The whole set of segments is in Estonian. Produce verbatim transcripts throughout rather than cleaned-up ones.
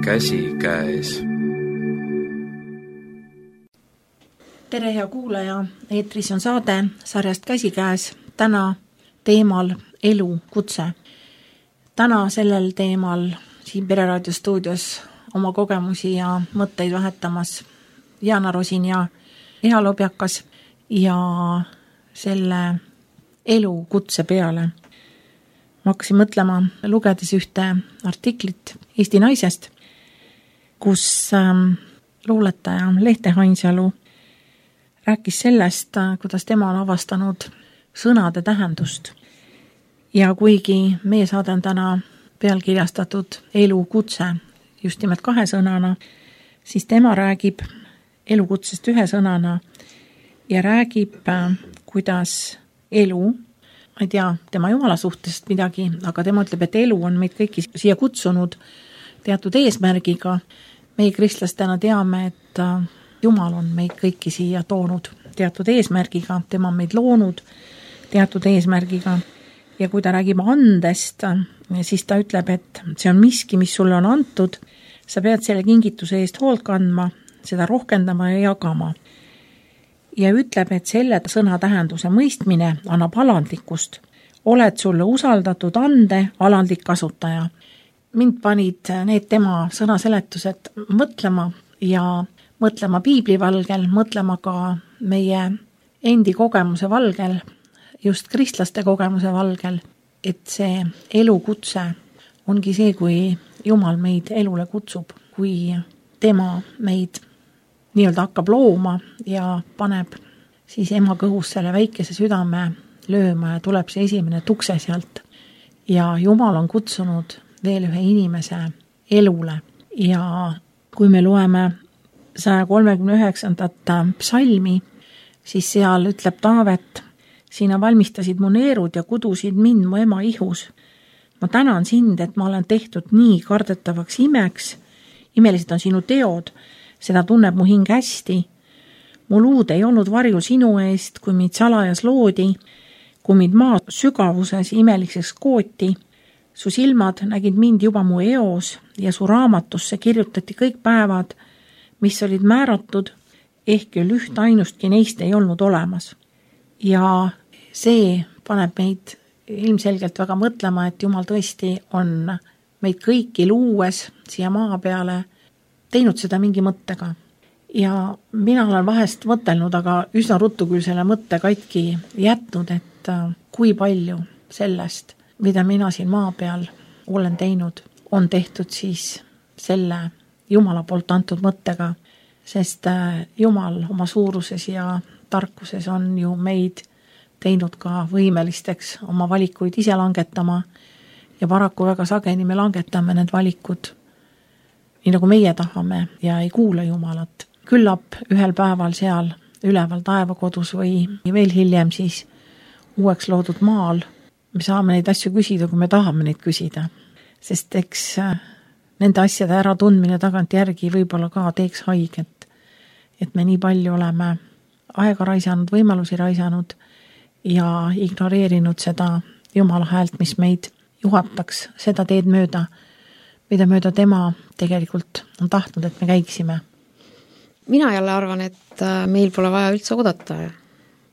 käsikäes. Tere hea kuulaja, eetris on saade sarjast Käsikäes, täna teemal elu kutse. Täna sellel teemal siin Pereraadio stuudios oma kogemusi ja mõtteid vahetamas Jana Rosin ja Eha Lobjakas ja selle elu kutse peale. Ma hakkasin mõtlema, lugedes ühte artiklit Eesti Naisest, kus ähm, luuletaja Lehte Hainsalu rääkis sellest, kuidas tema on avastanud sõnade tähendust. Ja kuigi meie saade on täna pealkirjastatud elu kutse just nimelt kahe sõnana, siis tema räägib elukutsest ühe sõnana ja räägib, kuidas elu, ma ei tea tema Jumala suhtest midagi, aga tema ütleb, et elu on meid kõiki siia kutsunud teatud eesmärgiga. Meie kristlastena teame, et Jumal on meid kõiki siia toonud teatud eesmärgiga, tema on meid loonud teatud eesmärgiga. Ja kui ta räägib andest, siis ta ütleb, et see on miski, mis sulle on antud, sa pead selle kingituse eest hoolt kandma, seda rohkendama ja jagama. Ja ütleb, et selle sõna tähenduse mõistmine annab alandlikkust. Oled sulle usaldatud ande alandlik kasutaja. Mind panid need tema sõnaseletused mõtlema ja mõtlema piibli valgel, mõtlema ka meie endi kogemuse valgel, just kristlaste kogemuse valgel, et see elukutse ongi see, kui Jumal meid elule kutsub, kui tema meid nii-öelda hakkab looma ja paneb siis ema kõhus selle väikese südame lööma ja tuleb see esimene tukse sealt. Ja Jumal on kutsunud veel ühe inimese elule. Ja kui me loeme saja kolmekümne üheksandat psalmi, siis seal ütleb Taavet, sina valmistasid mu neerud ja kudusid mind mu ema ihus. Ma tänan sind, et ma olen tehtud nii kardetavaks imeks. Imelised on sinu teod, seda tunneb mu hing hästi. Mu luud ei olnud varju sinu eest, kui mind salajas loodi, kui mind maa sügavuses imeliseks kooti. Su silmad nägid mind juba mu eos ja su raamatusse kirjutati kõik päevad, mis olid määratud, ehk küll üht ainustki neist ei olnud olemas. Ja see paneb meid ilmselgelt väga mõtlema, et Jumal tõesti on meid kõiki luues siia maa peale teinud seda mingi mõttega. Ja mina olen vahest mõtelnud, aga üsna ruttu küll selle mõtte katki jätnud, et kui palju sellest, mida mina siin maa peal olen teinud, on tehtud siis selle Jumala poolt antud mõttega, sest Jumal oma suuruses ja tarkuses on ju meid teinud ka võimelisteks oma valikuid ise langetama ja paraku väga sageli me langetame need valikud nii nagu meie tahame ja ei kuule Jumalat. Küllap ühel päeval seal üleval taevakodus või veel hiljem siis uueks loodud maal me saame neid asju küsida, kui me tahame neid küsida. Sest eks nende asjade ära tundmine tagant järgi võib-olla ka teeks haiget, et me nii palju oleme aega raisanud, võimalusi raisanud ja ignoreerinud seda Jumala häält, mis meid juhataks seda teed mööda, mida mööda tema tegelikult on tahtnud, et me käiksime. Mina jälle arvan, et meil pole vaja üldse oodata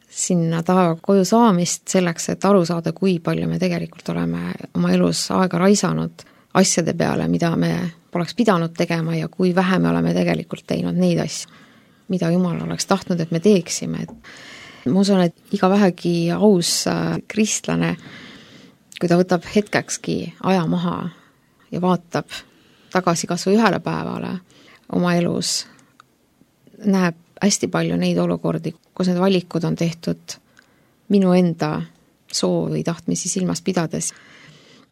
sinna taeva koju saamist selleks, et aru saada, kui palju me tegelikult oleme oma elus aega raisanud asjade peale, mida me poleks pidanud tegema ja kui vähe me oleme tegelikult teinud neid asju, mida Jumal oleks tahtnud, et me teeksime. Ma usun, et iga vähegi aus kristlane, kui ta võtab hetkekski aja maha ja vaatab tagasi kas või ühele päevale oma elus, näeb hästi palju neid olukordi, kus need valikud on tehtud minu enda soovi tahtmisi silmas pidades.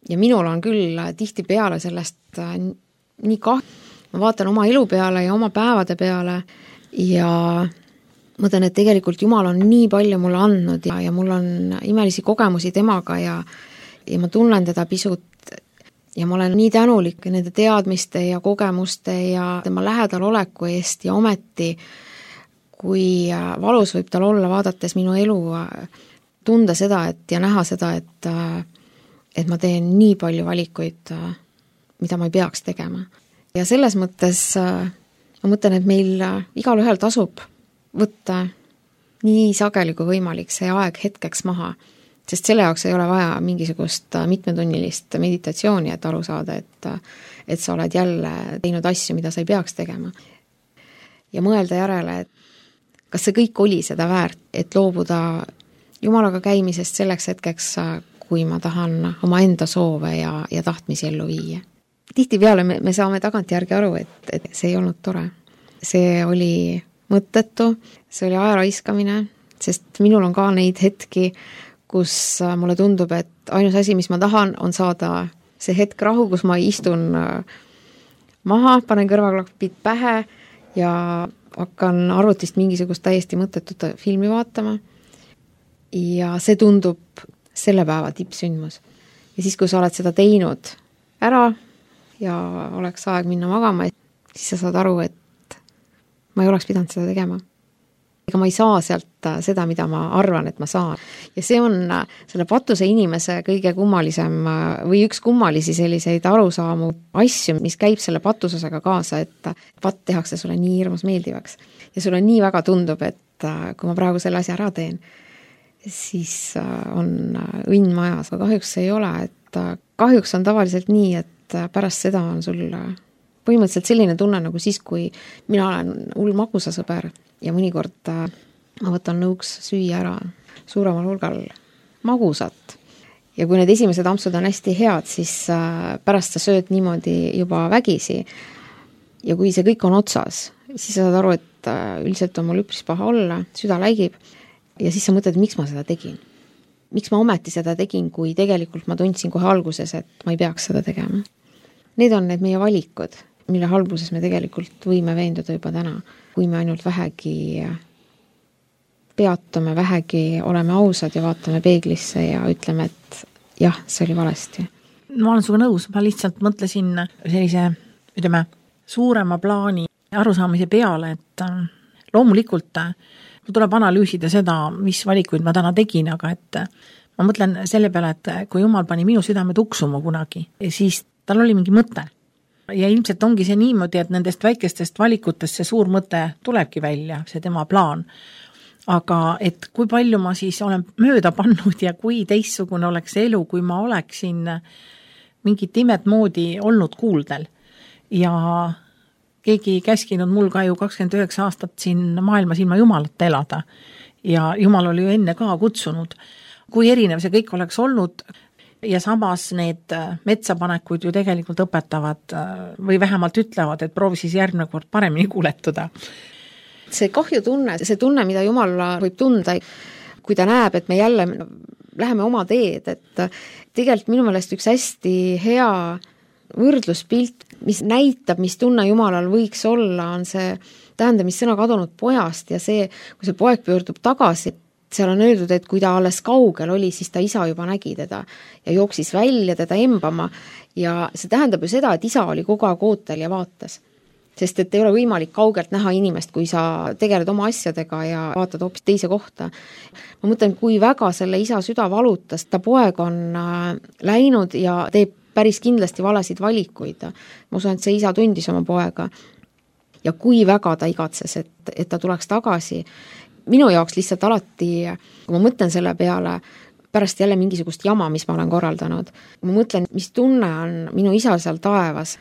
Ja minul on küll tihti peale sellest nii kahju. Ma vaatan oma elu peale ja oma päevade peale ja mõtlen, et tegelikult Jumal on nii palju mulle andnud ja, ja mul on imelisi kogemusi temaga ja, ja ma tunnen teda pisut ja ma olen nii tänulik nende teadmiste ja kogemuste ja tema lähedal oleku eest ja ometi, kui valus võib tal olla vaadates minu elu, tunda seda et, ja näha seda, et, et ma teen nii palju valikuid, mida ma ei peaks tegema. ja selles mõttes ma mõtlen, et meil igal ühel tasub võtta nii sageli kui võimalik see aeg hetkeks maha, sest selle jaoks ei ole vaja mingisugust mitmetunnilist meditatsiooni, et aru saada, et, et sa oled jälle teinud asju, mida sa ei peaks tegema. Ja mõelda järele, et kas see kõik oli seda väärt, et loobuda Jumalaga käimisest selleks hetkeks, kui ma tahan oma enda soove ja, ja tahtmisi ellu viia. Tihtipeale me, me saame tagantjärgi aru, et, et see ei olnud tore. See oli mõttetu, see oli aja raiskamine, sest minul on ka neid hetki, kus mulle tundub, et ainus asi, mis ma tahan, on saada see hetk rahu, kus ma istun maha, panen kõrvaklapid pähe ja hakkan arvutist mingisugust täiesti mõttetut filmi vaatama. Ja see tundub selle päeva tippsündmus. Ja siis, kui sa oled seda teinud ära ja oleks aeg minna magama, siis sa saad aru, et ma ei oleks pidanud seda tegema. Ega ma ei saa sealt seda, mida ma arvan, et ma saan. Ja see on selle patuse inimese kõige kummalisem või üks kummalisi selliseid arusaamu asju, mis käib selle patusesega kaasa, et pat tehakse sulle nii hirmus meeldivaks. Ja sulle nii väga tundub, et kui ma praegu selle asja ära teen, siis on õnn majas, aga kahjuks ei ole, et kahjuks on tavaliselt nii, et pärast seda on sul põhimõtteliselt selline tunne nagu siis, kui mina olen hull magusasõber ja mõnikord ma võtan nõuks süüa ära suuremal hulgal magusat. Ja kui need esimesed ampsud on hästi head, siis pärast sa sööd niimoodi juba vägisi. Ja kui see kõik on otsas, siis sa saad aru, et üldiselt on mul üpris paha olla, süda läigib. Ja siis sa mõtled, miks ma seda tegin. Miks ma ometi seda tegin, kui tegelikult ma tundsin kohe alguses, et ma ei peaks seda tegema. Need on need meie valikud, mille halbuses me tegelikult võime veenduda juba täna. Kui me ainult vähegi peatume, vähegi oleme ausad ja vaatame peeglisse ja ütleme, et jah, see oli valesti. Ma olen suga nõus, ma lihtsalt mõtlesin sellise, ütleme, suurema plaani arusaamise peale, et loomulikult mul tuleb analüüsida seda, mis valikuid ma täna tegin, aga et ma mõtlen selle peale, et kui Jumal pani minu südame tuksuma kunagi, siis tal oli mingi mõte. Ja ilmselt ongi see niimoodi, et nendest väikestest valikutest see suur mõte tulebki välja, see tema plaan. Aga et kui palju ma siis olen mööda pannud ja kui teistsugune oleks elu, kui ma oleksin mingit imet moodi olnud kuuldel. Ja keegi käskinud mul ka ju kakskümmend üheksa aastat siin maailmas ilma Jumalat elada. Ja Jumal oli ju enne ka kutsunud. Kui erinev see kõik oleks olnud ja samas need metsapanekud ju tegelikult õpetavad või vähemalt ütlevad, et proovi siis järgmine kord paremini kuuletuda. See kahju tunne, see tunne, mida Jumal võib tunda, kui ta näeb, et me jälle läheme oma teed, et tegelikult minu meelest üks hästi hea võrdluspilt, mis näitab, mis tunne Jumalal võiks olla, on see tähendamissõna kadunud pojast ja see, kui see poeg pöördub tagasi, seal on öeldud, et kui ta alles kaugel oli, siis ta isa juba nägi teda ja jooksis välja teda embama ja see tähendab ju seda, et isa oli kogu aeg ootel ja vaatas. Sest et ei ole võimalik kaugelt näha inimest, kui sa tegeled oma asjadega ja vaatad hoopis teise kohta. Ma mõtlen, kui väga selle isa süda valutas, ta poeg on läinud ja teeb päris kindlasti valesid valikuid. Ma usun, et see isa tundis oma poega ja kui väga ta igatses, et, et ta tuleks tagasi. Minu jaoks lihtsalt alati, kui ma mõtlen selle peale, pärast jälle mingisugust jama, mis ma olen korraldanud, ma mõtlen, mis tunne on minu isa seal taevas.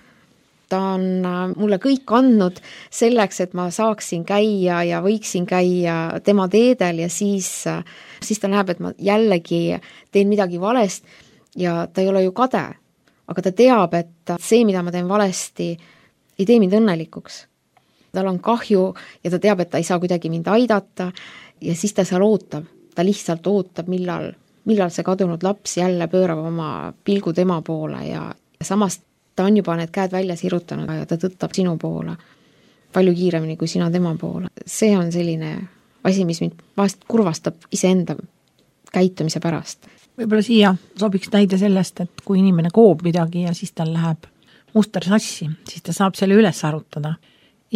Ta on mulle kõik andnud selleks, et ma saaksin käia ja võiksin käia tema teedel ja siis, siis ta näeb, et ma jällegi teen midagi valest ja ta ei ole ju kade, aga ta teab, et see, mida ma teen valesti, ei tee mind õnnelikuks. Tal on kahju ja ta teab, et ta ei saa kuidagi mind aidata ja siis ta seal ootab. Ta lihtsalt ootab, millal, millal see kadunud laps jälle pöörab oma pilgu tema poole ja, ja samast ta on juba need käed välja sirutanud ja ta tõttab sinu poole palju kiiremini kui sina tema poole. See on selline asi, mis mind vahest kurvastab iseenda käitumise pärast. Võib-olla siia sobiks näide sellest, et kui inimene koob midagi ja siis tal läheb muster sassi, siis ta saab selle üles arutada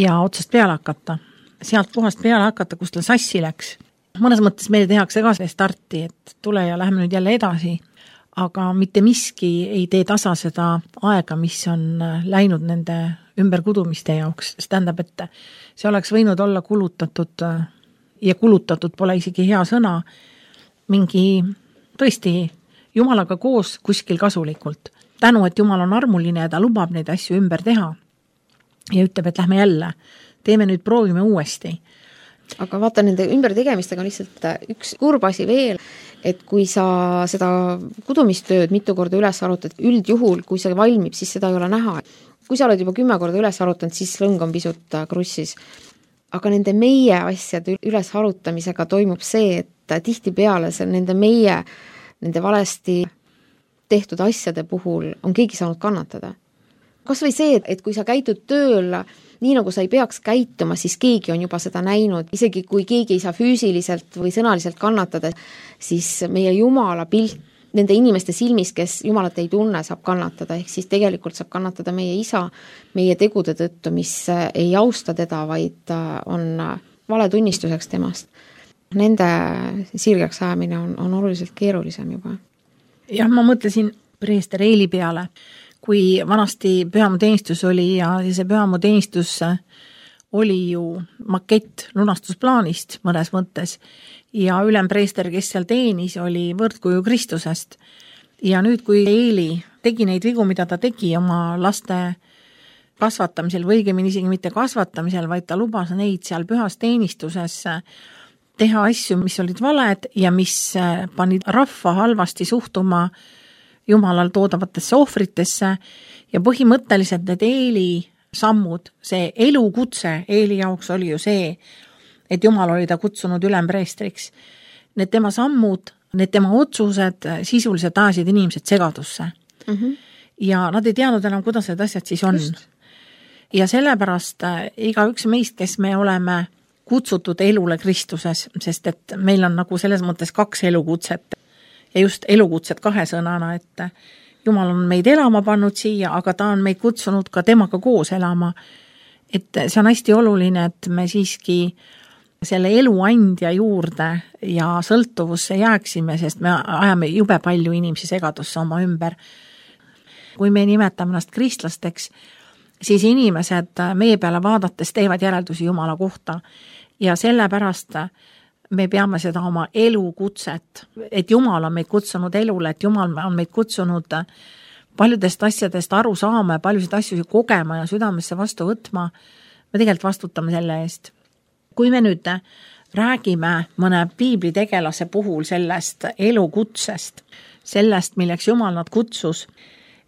ja otsast peale hakata. Sealt puhast peale hakata, kus tal sassi läks. Mõnes mõttes meile tehakse ka see starti, et tule ja läheme nüüd jälle edasi. Aga mitte miski ei tee tasa seda aega, mis on läinud nende ümberkudumiste jaoks, see tähendab, et see oleks võinud olla kulutatud ja kulutatud pole isegi hea sõna, mingi tõesti Jumalaga koos kuskil kasulikult. Tänu, et Jumal on armuline ja ta lubab neid asju ümber teha ja ütleb, et lähme jälle, teeme nüüd, proovime uuesti. Aga vaata, nende ümbertegemistega on lihtsalt üks kurb asi veel, et kui sa seda kudumistööd mitu korda üles arutad, üldjuhul, kui see valmib, siis seda ei ole näha. Kui sa oled juba kümme korda üles arutanud, siis lõng on pisut krussis. Aga nende meie asjade üles arutamisega toimub see, et tihtipeale see nende meie, nende valesti tehtud asjade puhul on keegi saanud kannatada. Kas või see, et kui sa käitud tööl nii nagu sa ei peaks käituma, siis keegi on juba seda näinud, isegi kui keegi ei saa füüsiliselt või sõnaliselt kannatada, siis meie Jumala pilt nende inimeste silmis, kes Jumalat ei tunne, saab kannatada, ehk siis tegelikult saab kannatada meie isa meie tegude tõttu, mis ei austa teda, vaid on valetunnistuseks temast. Nende sirgeks ajamine on, on oluliselt keerulisem juba. Jah, ma mõtlesin preester Eeli peale, kui vanasti pühamuteenistus oli ja see pühamuteenistus oli ju makett lunastusplaanist mõnes mõttes ja ülempreester, kes seal teenis, oli võrdkuju Kristusest. Ja nüüd, kui Eeli tegi neid vigu, mida ta tegi oma laste kasvatamisel, või õigemini isegi mitte kasvatamisel, vaid ta lubas neid seal pühas teenistuses teha asju, mis olid valed ja mis panid rahva halvasti suhtuma Jumalal toodavatesse ohvritesse ja põhimõtteliselt need Eeli sammud, see elukutse Eeli jaoks oli ju see, et Jumal oli ta kutsunud ülempreestriks. Need tema sammud, need tema otsused sisuliselt ajasid inimesed segadusse. Mm-hmm. Ja nad ei teadnud enam, kuidas need asjad siis on. Just. Ja sellepärast iga üks meist, kes me oleme kutsutud elule Kristuses, sest et meil on nagu selles mõttes kaks elukutset ja just elukutset kahe sõnana, et Jumal on meid elama pannud siia, aga ta on meid kutsunud ka temaga koos elama. Et see on hästi oluline, et me siiski selle eluandja juurde ja sõltuvusse jääksime, sest me ajame jube palju inimesi segadusse oma ümber. Kui me nimetame ennast kristlasteks, siis inimesed meie peale vaadates teevad järeldusi Jumala kohta ja sellepärast me peame seda oma elukutset, et Jumal on meid kutsunud elule, et Jumal on meid kutsunud paljudest asjadest aru saama ja paljusid asju kogema ja südamesse vastu võtma, me tegelikult vastutame selle eest. Kui me nüüd räägime mõne piiblitegelase puhul sellest elukutsest, sellest, milleks Jumal nad kutsus,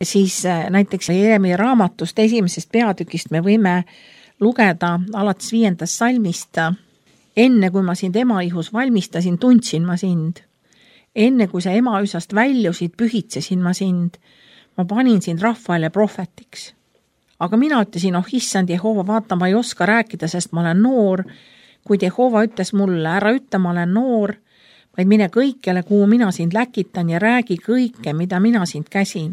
siis näiteks Jeremia raamatust esimesest peatükist me võime lugeda alates viiendast salmist. Enne kui ma sind ema ihus valmistasin, tundsin ma sind. Enne kui sa ema üsast väljusid, pühitsesin ma sind. Ma panin sind rahvaile prohvetiks. Aga mina ütlesin, oh issand Jehova, vaata, ma ei oska rääkida, sest ma olen noor. Kuid Jehova ütles mulle, ära ütle, ma olen noor, vaid mine kõikjale, kuhu mina sind läkitan ja räägi kõike, mida mina sind käsin.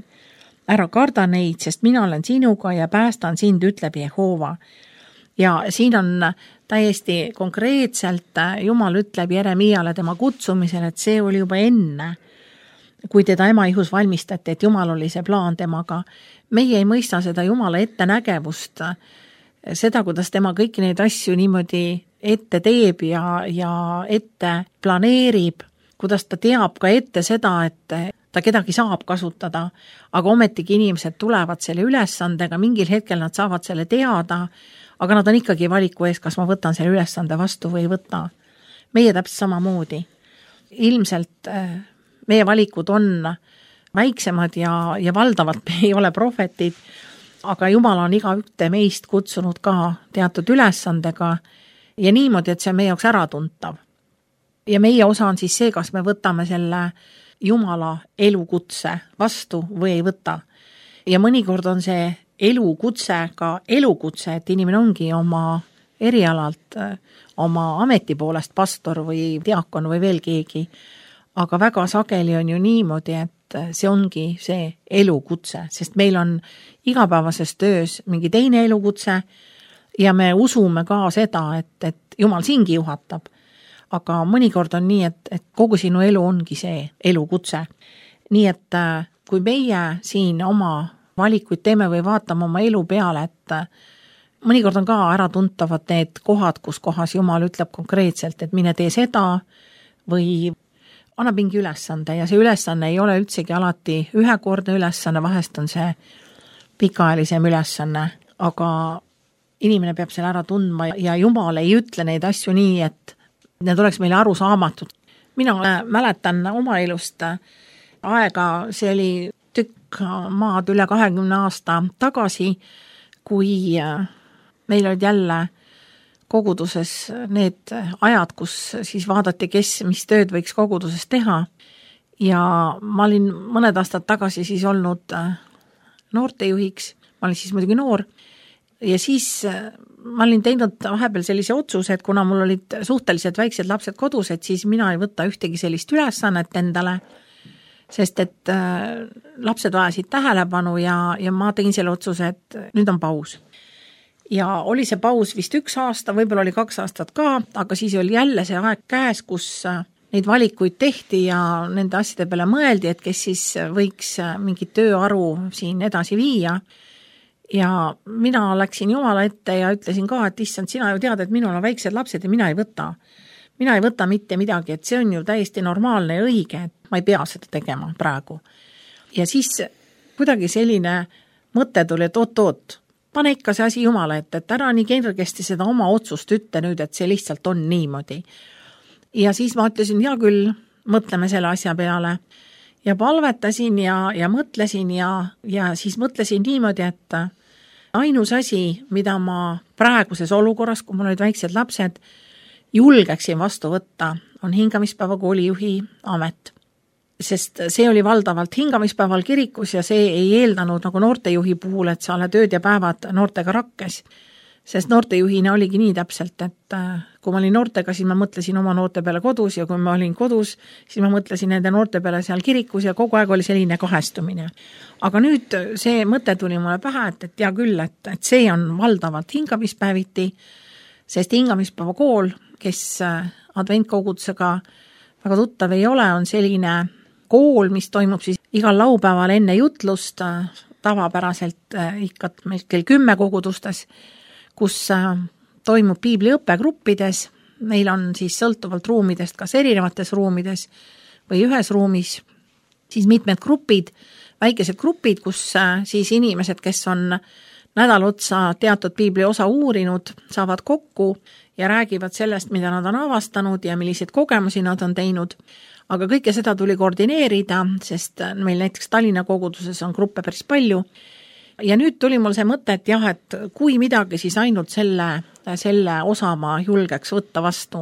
Ära karda neid, sest mina olen sinuga ja päästan sind, ütleb Jehova. Ja siin on täiesti konkreetselt Jumal ütleb Jeremiale tema kutsumisel, et see oli juba enne, kui teda ema ihus valmistati, et Jumal oli see plaan temaga. Meie ei mõista seda Jumala ettenägevust, seda, kuidas tema kõiki neid asju niimoodi ette teeb ja, ja ette planeerib, kuidas ta teab ka ette seda, et ta kedagi saab kasutada, aga ometigi inimesed tulevad selle ülesandega, mingil hetkel nad saavad selle teada, aga nad on ikkagi valiku ees, kas ma võtan selle ülesande vastu või ei võta. Meie täpselt samamoodi. Ilmselt meie valikud on väiksemad ja, ja valdavalt me ei ole prohvetid, aga Jumal on iga ühte meist kutsunud ka teatud ülesandega ja niimoodi, et see on meie jaoks äratuntav. Ja meie osa on siis see, kas me võtame selle Jumala elukutse vastu või ei võta. Ja mõnikord on see elukutse, ka elukutse, et inimene ongi oma erialalt, oma ameti poolest pastor või diakon või veel keegi. Aga väga sageli on ju niimoodi, et see ongi see elukutse, sest meil on igapäevases töös mingi teine elukutse ja me usume ka seda, et, et Jumal siingi juhatab. Aga mõnikord on nii, et, et kogu sinu elu ongi see elukutse. Nii et kui meie siin oma valikuid teeme või vaatame oma elu peale, et mõnikord on ka äratuntavad need kohad, kus kohas Jumal ütleb konkreetselt, et mine tee seda või annab mingi ülesande ja see ülesanne ei ole üldsegi alati ühekordne ülesanne, vahest on see pikaajalisem ülesanne, aga inimene peab selle ära tundma ja Jumal ei ütle neid asju nii, et need oleks meile aru saamatud. Mina mäletan oma elust aega, see oli tükk maad üle kahekümne aasta tagasi, kui meil olid jälle koguduses need ajad, kus siis vaadati, kes mis tööd võiks koguduses teha. Ja ma olin mõned aastad tagasi siis olnud noortejuhiks, ma olin siis muidugi noor, ja siis ma olin teinud vahepeal sellise otsuse, et kuna mul olid suhteliselt väiksed lapsed kodus, et siis mina ei võta ühtegi sellist ülesannet endale, sest et lapsed vajasid tähelepanu ja, ja ma tegin selle otsuse, et nüüd on paus. Ja oli see paus vist üks aasta, võib-olla oli kaks aastat ka, aga siis oli jälle see aeg käes, kus neid valikuid tehti ja nende asjade peale mõeldi, et kes siis võiks mingit tööaru siin edasi viia. Ja mina läksin Jumala ette ja ütlesin ka, et issand, sina ju tead, et minul on väiksed lapsed ja mina ei võta. Mina ei võta mitte midagi, et see on ju täiesti normaalne ja õige, et ma ei pea seda tegema praegu. Ja siis kuidagi selline mõte tuli, et oot-oot, pane ikka see asi Jumala ette, et ära nii kergesti seda oma otsust ütle nüüd, et see lihtsalt on niimoodi. Ja siis ma ütlesin, hea küll, mõtleme selle asja peale. Ja palvetasin ja, ja mõtlesin ja, ja siis mõtlesin niimoodi, et ainus asi, mida ma praeguses olukorras, kui mul olid väiksed lapsed, julgeksin vastu võtta, on hingamispäeva koolijuhi amet. Sest see oli valdavalt hingamispäeval kirikus ja see ei eeldanud nagu noortejuhi puhul, et sa oled ööd ja päevad noortega rakkes. Sest noortejuhina oligi nii täpselt, et kui ma olin noortega, siis ma mõtlesin oma noorte peale kodus ja kui ma olin kodus, siis ma mõtlesin nende noorte peale seal kirikus ja kogu aeg oli selline kahestumine. Aga nüüd see mõte tuli mulle pähe, et, et hea küll, et, et see on valdavalt hingamispäeviti, sest hingamispäeva kool, kes adventkogudusega väga tuttav ei ole, on selline kool, mis toimub siis igal laupäeval enne jutlust, tavapäraselt ikka meil kell kümme kogudustes, kus toimub piibliõppe gruppides, meil on siis sõltuvalt ruumidest, kas erinevates ruumides või ühes ruumis, siis mitmed grupid, väikesed grupid, kus siis inimesed, kes on nädal otsa teatud piibli osa uurinud, saavad kokku ja räägivad sellest, mida nad on avastanud ja milliseid kogemusi nad on teinud. Aga kõike seda tuli koordineerida, sest meil näiteks Tallinna koguduses on gruppe päris palju. Ja nüüd tuli mul see mõte, et jah, et kui midagi, siis ainult selle, selle osa ma julgeks võtta vastu.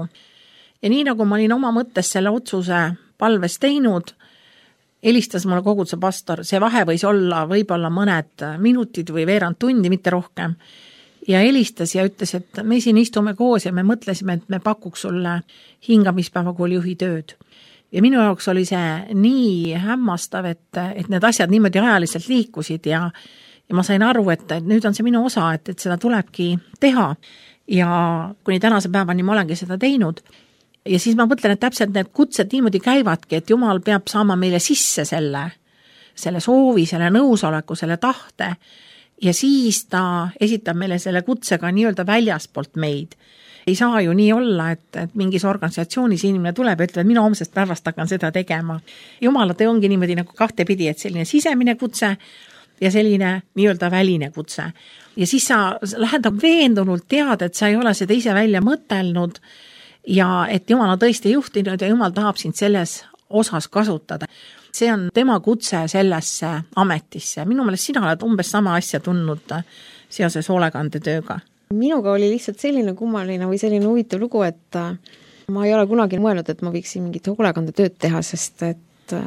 Ja nii nagu ma olin oma mõttes selle otsuse palves teinud, helistas mulle koguduse pastor, see vahe võis olla võib-olla mõned minutid või veerand tundi, mitte rohkem. Ja helistas ja ütles, et me siin istume koos ja me mõtlesime, et me pakuks sulle hingamispäeva koolijuhi tööd. Ja minu jaoks oli see nii hämmastav, et, et need asjad niimoodi ajaliselt liikusid ja Ja ma sain aru, et nüüd on see minu osa, et, et seda tulebki teha ja kuni tänase päevani ma olengi seda teinud. Ja siis ma mõtlen, et täpselt need kutsed niimoodi käivadki, et Jumal peab saama meile sisse selle, selle soovi, selle nõusoleku, selle tahte ja siis ta esitab meile selle kutsega nii-öelda väljaspoolt meid. Ei saa ju nii olla, et, et mingis organisatsioonis inimene tuleb ja ütleb, et mina homsest päevast hakkan seda tegema. Jumala te ongi niimoodi nagu kahtepidi, et selline sisemine kutse ja selline nii-öelda väline kutse. Ja siis sa lähed veendunult tead, et sa ei ole seda ise välja mõtelnud ja et Jumal on tõesti juhtinud ja Jumal tahab sind selles osas kasutada. See on tema kutse sellesse ametisse. Minu meelest sina oled umbes sama asja tundnud seoses hoolekandetööga. Minuga oli lihtsalt selline kummaline või selline huvitav lugu, et ma ei ole kunagi mõelnud, et ma võiksin mingit hoolekandetööd teha, sest et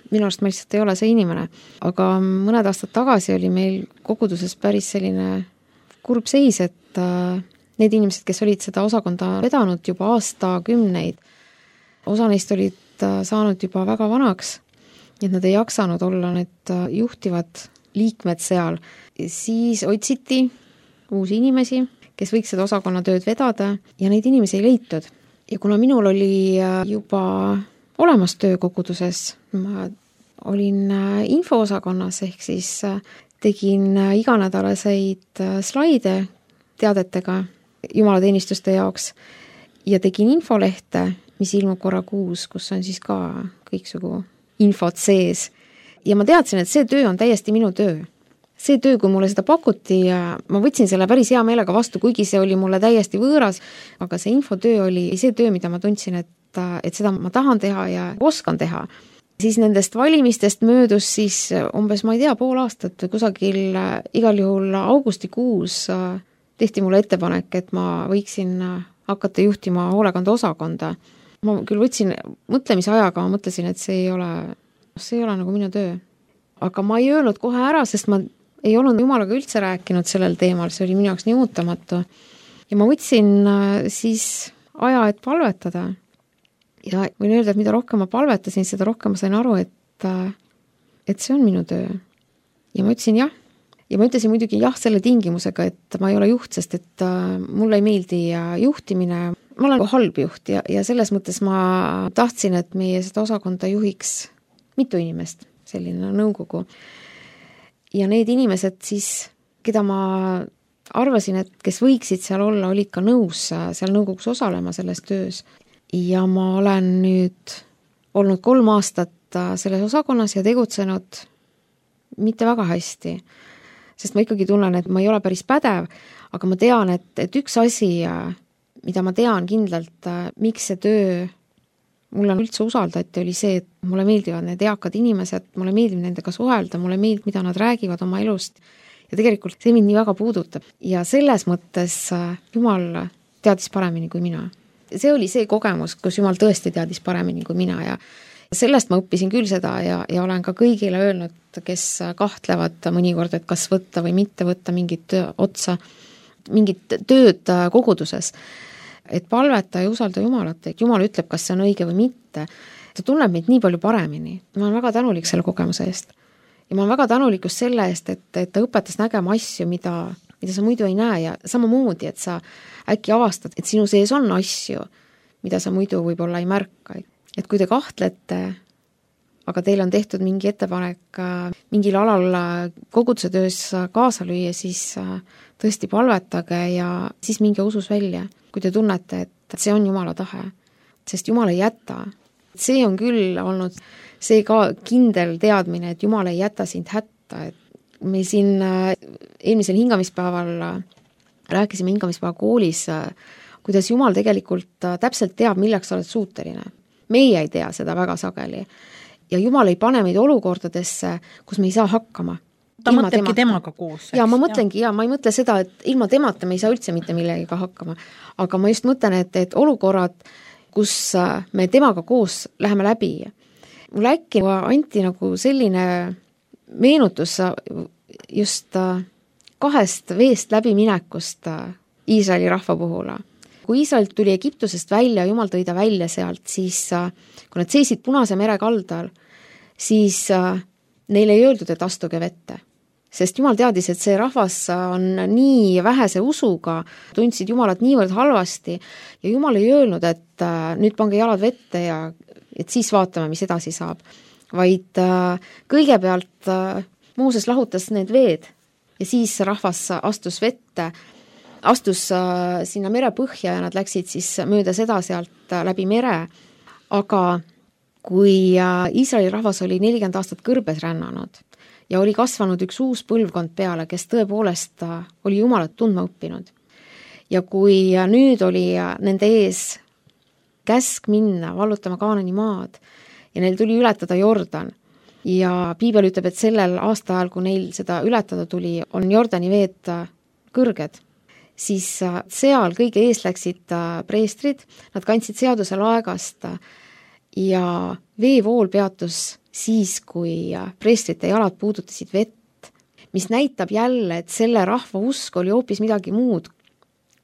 minu arust ma lihtsalt ei ole see inimene. Aga mõned aastad tagasi oli meil koguduses päris selline kurb seis, et need inimesed, kes olid seda osakonda vedanud juba aastakümneid, osa neist olid saanud juba väga vanaks, et nad ei jaksanud olla need juhtivad liikmed seal. Siis otsiti uusi inimesi, kes võiks seda osakonna tööd vedada ja neid inimesi ei leitud. Ja kuna minul oli juba olemas töökoguduses, ma olin infoosakonnas ehk siis tegin iganädalaseid slaide teadetega jumalateenistuste jaoks ja tegin infolehte, mis ilmub korra kuus, kus on siis ka kõiksugu infot sees. Ja ma teadsin, et see töö on täiesti minu töö. See töö, kui mulle seda pakuti ja ma võtsin selle päris hea meelega vastu, kuigi see oli mulle täiesti võõras, aga see infotöö oli see töö, mida ma tundsin, et, et seda ma tahan teha ja oskan teha. Siis nendest valimistest möödus siis umbes, ma ei tea, pool aastat või kusagil igal juhul augustikuus tehti mulle ettepanek, et ma võiksin hakata juhtima hoolekande osakonda. Ma küll võtsin mõtlemise ajaga, ma mõtlesin, et see ei ole, see ei ole nagu minu töö. Aga ma ei öelnud kohe ära, sest ma ei olnud jumalaga üldse rääkinud sellel teemal, see oli minu jaoks nii ootamatu. Ja ma võtsin siis aja, et palvetada. Ja võin öelda, et mida rohkem ma palvetasin, seda rohkem ma sain aru, et, et see on minu töö. Ja ma ütlesin jah. Ja ma ütlesin muidugi jah selle tingimusega, et ma ei ole juht, sest et mulle ei meeldi juhtimine. Ma olen halb juht ja, ja selles mõttes ma tahtsin, et meie seda osakonda juhiks mitu inimest, selline nõukogu. Ja need inimesed siis, keda ma arvasin, et kes võiksid seal olla, olid ka nõus seal nõukogus osalema selles töös. Ja ma olen nüüd olnud kolm aastat selles osakonnas ja tegutsenud mitte väga hästi. Sest ma ikkagi tunnen, et ma ei ole päris pädev, aga ma tean, et, et üks asi, mida ma tean kindlalt, miks see töö mulle üldse usaldati, oli see, et mulle meeldivad need eakad inimesed, mulle meeldib nendega suhelda, mulle meeldib, mida nad räägivad oma elust ja tegelikult see mind nii väga puudutab. Ja selles mõttes Jumal teadis paremini kui mina. See oli see kogemus, kus Jumal tõesti teadis paremini kui mina ja sellest ma õppisin küll seda ja, ja olen ka kõigile öelnud, kes kahtlevad mõnikord, et kas võtta või mitte võtta mingit otsa, mingit tööd koguduses. Et palveta ja usalda Jumalat, et Jumal ütleb, kas see on õige või mitte. Ta tunneb meid nii palju paremini. Ma olen väga tänulik selle kogemuse eest. Ja ma olen väga tänulik just selle eest, et, et ta õpetas nägema asju, mida, mida sa muidu ei näe ja samamoodi, et sa äkki avastad, et sinu sees on asju, mida sa muidu võib-olla ei märka. Et kui te kahtlete, aga teil on tehtud mingi ettepanek mingil alal koguduse töös kaasa lüüa, siis tõesti palvetage ja siis minge usus välja, kui te tunnete, et see on Jumala tahe. Sest Jumal ei jäta. See on küll olnud see ka kindel teadmine, et Jumal ei jäta sind hätta. Et me siin eelmisel hingamispäeval rääkisime hingamispäeva koolis, kuidas Jumal tegelikult täpselt teab, milleks sa oled suuteline. Meie ei tea seda väga sageli. Ja Jumal ei pane meid olukordadesse, kus me ei saa hakkama. Ta ilma mõtlebki temaga koos. Ja ma mõtlengi, ja ma ei mõtle seda, et ilma temata me ei saa üldse mitte millegiga hakkama. Aga ma just mõtlen, et, et olukorrad, kus me temaga koos läheme läbi. Mulle äkki anti nagu selline meenutus just kahest veest läbiminekust Iisraeli rahva puhul. Kui Iisrael tuli Egiptusest välja, Jumal tõi ta välja sealt, siis kui nad seisid Punase mere kaldal, siis neile ei öeldud, et astuge vette. Sest Jumal teadis, et see rahvas on nii vähese usuga, tundsid Jumalat niivõrd halvasti ja Jumal ei öelnud, et nüüd pange jalad vette ja et siis vaatame, mis edasi saab. Vaid kõigepealt Mooses lahutas need veed ja siis rahvas astus vette, astus sinna mere põhja ja nad läksid siis mööda seda sealt läbi mere. Aga kui Iisraeli rahvas oli nelikümmend aastat kõrbes rännanud ja oli kasvanud üks uus põlvkond peale, kes tõepoolest oli Jumalat tundma õppinud. Ja kui nüüd oli nende ees käsk minna, vallutama Kaanani maad ja neil tuli ületada Jordan ja Piibel ütleb, et sellel aastaajal, kui neil seda ületada tuli, on Jordani veed kõrged, siis seal kõige ees läksid preestrid, nad kandsid seaduse laegast ja veevool peatus siis, kui preestrite jalad puudutasid vett, mis näitab jälle, et selle rahva usk oli hoopis midagi muud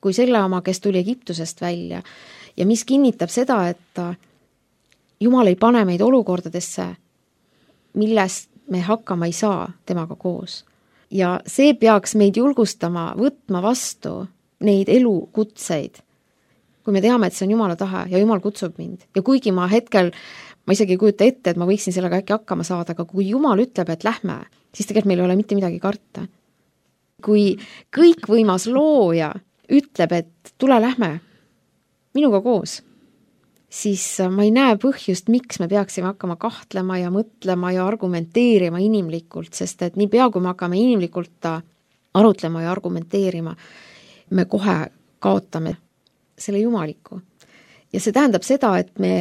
kui selle oma, kes tuli Egiptusest välja ja mis kinnitab seda, et Jumal ei pane meid olukordadesse, millest me hakkama ei saa temaga koos. Ja see peaks meid julgustama võtma vastu neid elukutseid, kui me teame, et see on Jumala tahe ja Jumal kutsub mind. Ja kuigi ma hetkel ma isegi ei kujuta ette, et ma võiksin sellega äkki hakkama saada, aga kui Jumal ütleb, et lähme, siis tegelikult meil ei ole mitte midagi karta. Kui kõikvõimas looja ütleb, et tule lähme minuga koos, siis ma ei näe põhjust, miks me peaksime hakkama kahtlema ja mõtlema ja argumenteerima inimlikult, sest et nii pea, kui me hakkame inimlikult arutlema ja argumenteerima, me kohe kaotame selle jumaliku. Ja see tähendab seda, et me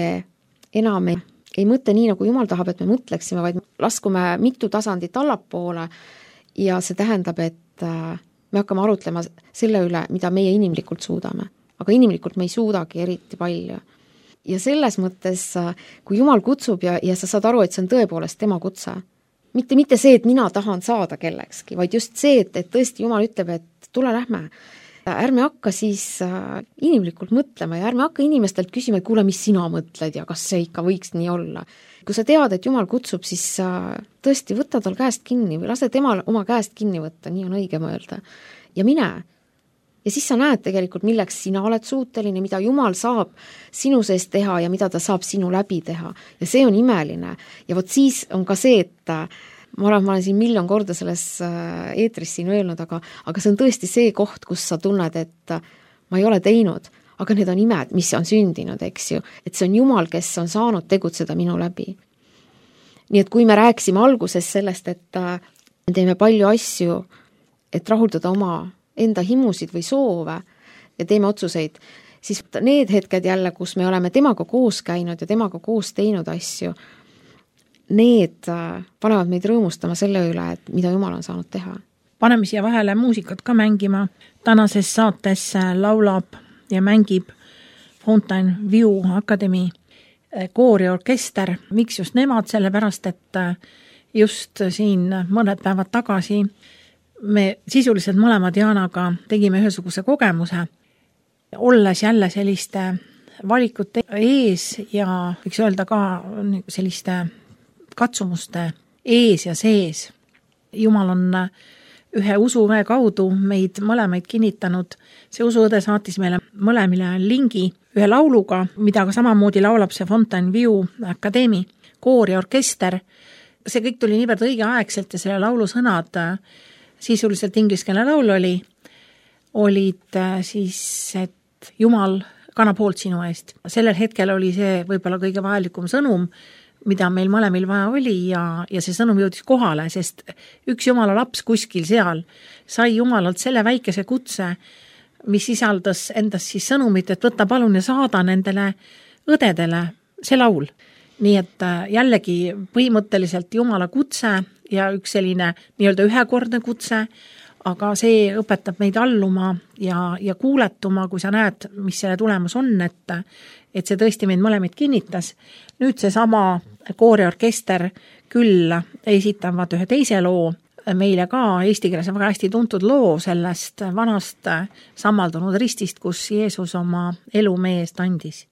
enam ei, ei mõtle nii, nagu Jumal tahab, et me mõtleksime, vaid laskume mitu tasandit allapoole ja see tähendab, et me hakkame arutlema selle üle, mida meie inimlikult suudame. Aga inimlikult me ei suudagi eriti palju. Ja selles mõttes, kui Jumal kutsub ja, ja sa saad aru, et see on tõepoolest tema kutse, mitte, mitte see, et mina tahan saada kellekski, vaid just see, et, et tõesti Jumal ütleb, et tule lähme. Ärme hakka siis inimlikult mõtlema ja ärme hakka inimestelt küsima, et kuule, mis sina mõtled ja kas see ikka võiks nii olla. Kui sa tead, et Jumal kutsub, siis tõesti võta tal käest kinni või lase temal oma käest kinni võtta, nii on õige mõelda. Ja mine. Ja siis sa näed tegelikult, milleks sina oled suuteline, mida Jumal saab sinu sees teha ja mida ta saab sinu läbi teha. Ja see on imeline. Ja vot siis on ka see, et ma arvan, ma olen siin miljon korda selles eetris siin öelnud, aga, aga see on tõesti see koht, kus sa tunned, et ma ei ole teinud, aga need on imed, mis on sündinud, eks ju. Et see on Jumal, kes on saanud tegutseda minu läbi. Nii et kui me rääksime alguses sellest, et me teeme palju asju, et rahuldada oma enda himusid või soove ja teeme otsuseid, siis need hetked jälle, kus me oleme temaga koos käinud ja temaga koos teinud asju, need panevad meid rõõmustama selle üle, et mida Jumal on saanud teha. Paneme siia vahele muusikat ka mängima. Tänases saates laulab ja mängib Fountain View Academy kooriorkester. Miks just nemad? Sellepärast, et just siin mõned päevad tagasi me sisuliselt mõlemad Jaanaga tegime ühesuguse kogemuse, olles jälle selliste valikute ees ja võiks öelda ka selliste katsumuste ees ja sees. Jumal on ühe usuõe kaudu meid mõlemaid kinnitanud. See usuõde saatis meile mõlemile lingi ühe lauluga, mida ka samamoodi laulab see Fountain View Academy koor ja orkester. See kõik tuli niivõrd õigeaegselt ja selle laulu sõnad sisuliselt ingliskeelne laul oli, olid siis, et Jumal kannab hoolt sinu eest. Sellel hetkel oli see võib-olla kõige vajalikum sõnum, mida meil mõlemil vaja oli ja, ja see sõnum jõudis kohale, sest üks Jumala laps kuskil seal sai Jumalalt selle väikese kutse, mis sisaldas endas siis sõnumit, et võta palun ja saada nendele õdedele see laul. Nii et jällegi põhimõtteliselt Jumala kutse ja üks selline nii-öelda ühekordne kutse, aga see õpetab meid alluma ja, ja kuuletuma, kui sa näed, mis selle tulemus on, et, et see tõesti meid mõlemid kinnitas. Nüüd see sama kooriorkester küll esitavad ühe teise loo, meile ka eesti keeles on väga hästi tuntud loo sellest vanast sammaldunud ristist, kus Jeesus oma elu meie eest andis.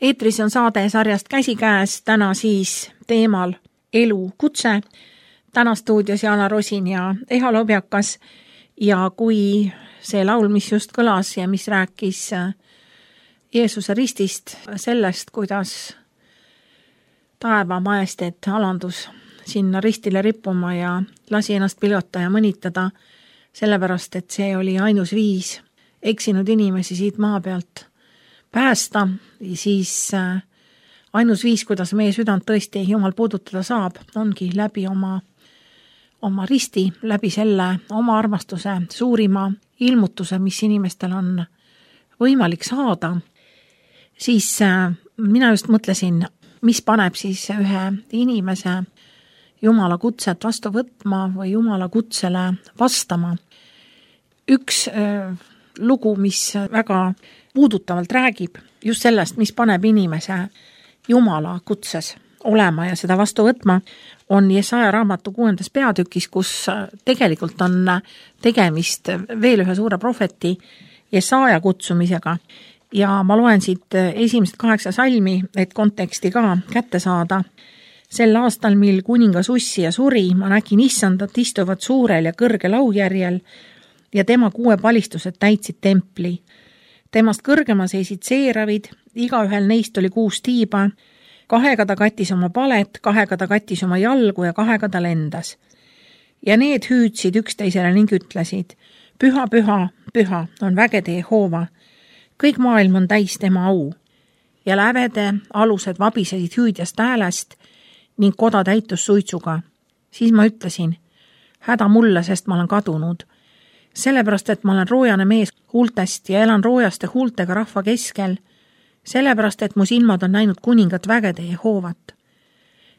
eetris on saade sarjast Käsikäes, täna siis teemal elukutse. Täna stuudios Jaana Rosin ja Eha Lobjakas ja kui see laul, mis just kõlas ja mis rääkis Jeesuse ristist, sellest, kuidas taeva majesteet alandus sinna ristile rippuma ja lasi ennast pilgata ja mõnitada, sellepärast, et see oli ainus viis eksinud inimesi siit maa pealt päästa, siis ainus viis, kuidas meie südant tõesti Jumal puudutada saab, ongi läbi oma, oma risti, läbi selle oma armastuse suurima ilmutuse, mis inimestel on võimalik saada. Siis mina just mõtlesin, mis paneb siis ühe inimese Jumala kutset vastu võtma või Jumala kutsele vastama. Üks äh, lugu, mis väga puudutavalt räägib just sellest, mis paneb inimese Jumala kutses olema ja seda vastu võtma, on Jesaja raamatu kuuendas peatükis, kus tegelikult on tegemist veel ühe suure profeti Jesaja kutsumisega. Ja ma loen siit esimesed kaheksa salmi, et konteksti ka kätte saada. Sel aastal, mil kuningas Ussia suri, ma nägin issandat istuvat suurel ja kõrgel aujärjel ja tema kuue palistused täitsid templi. Temast kõrgema seisid seeravid, igaühel neist oli kuus tiiba, kahega ta kattis oma palet, kahega ta kattis oma jalgu ja kahega ta lendas. Ja need hüüdsid üksteisele ning ütlesid, püha, püha, püha on vägede Jehova, kõik maailm on täis tema au. Ja lävede alused vabisesid hüüdjast häälest ning koda täitus suitsuga. Siis ma ütlesin, häda mulle, sest ma olen kadunud. Sellepärast, et ma olen roojane mees huultest ja elan roojaste huultega rahva keskel. Sellepärast, et mu silmad on näinud kuningat vägede Jehovat.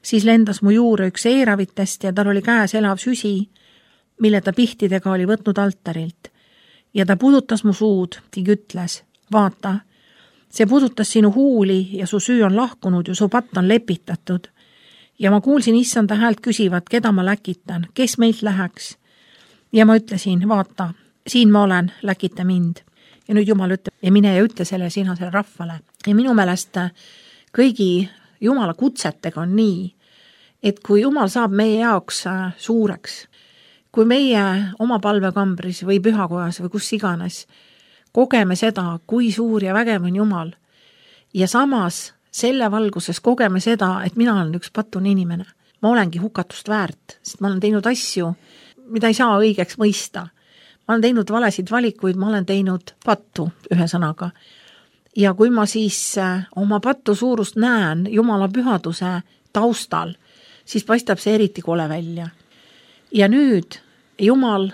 Siis lendas mu juure üks eeravitest ja tal oli käes elav süsi, mille ta pihtidega oli võtnud altarilt. Ja ta pudutas mu suud ning ütles, vaata, see pudutas sinu huuli ja su süü on lahkunud ja su patt on lepitatud. Ja ma kuulsin issanda häält küsivat, keda ma läkitan, kes meilt läheks. Ja ma ütlesin, vaata, siin ma olen, läkita mind. Ja nüüd Jumal ütleb, ja mine ja ütle selle sina selle rahvale. Ja minu meelest kõigi Jumala kutsetega on nii, et kui Jumal saab meie jaoks suureks, kui meie oma palvekambris või pühakojas või kus iganes kogeme seda, kui suur ja vägev on Jumal, ja samas selle valguses kogeme seda, et mina olen üks patune inimene. Ma olengi hukatust väärt, sest ma olen teinud asju, mida ei saa õigeks mõista. Ma olen teinud valesid valikuid, ma olen teinud pattu ühe sõnaga. Ja kui ma siis oma pattu suurust näen Jumala pühaduse taustal, siis paistab see eriti kole välja. Ja nüüd Jumal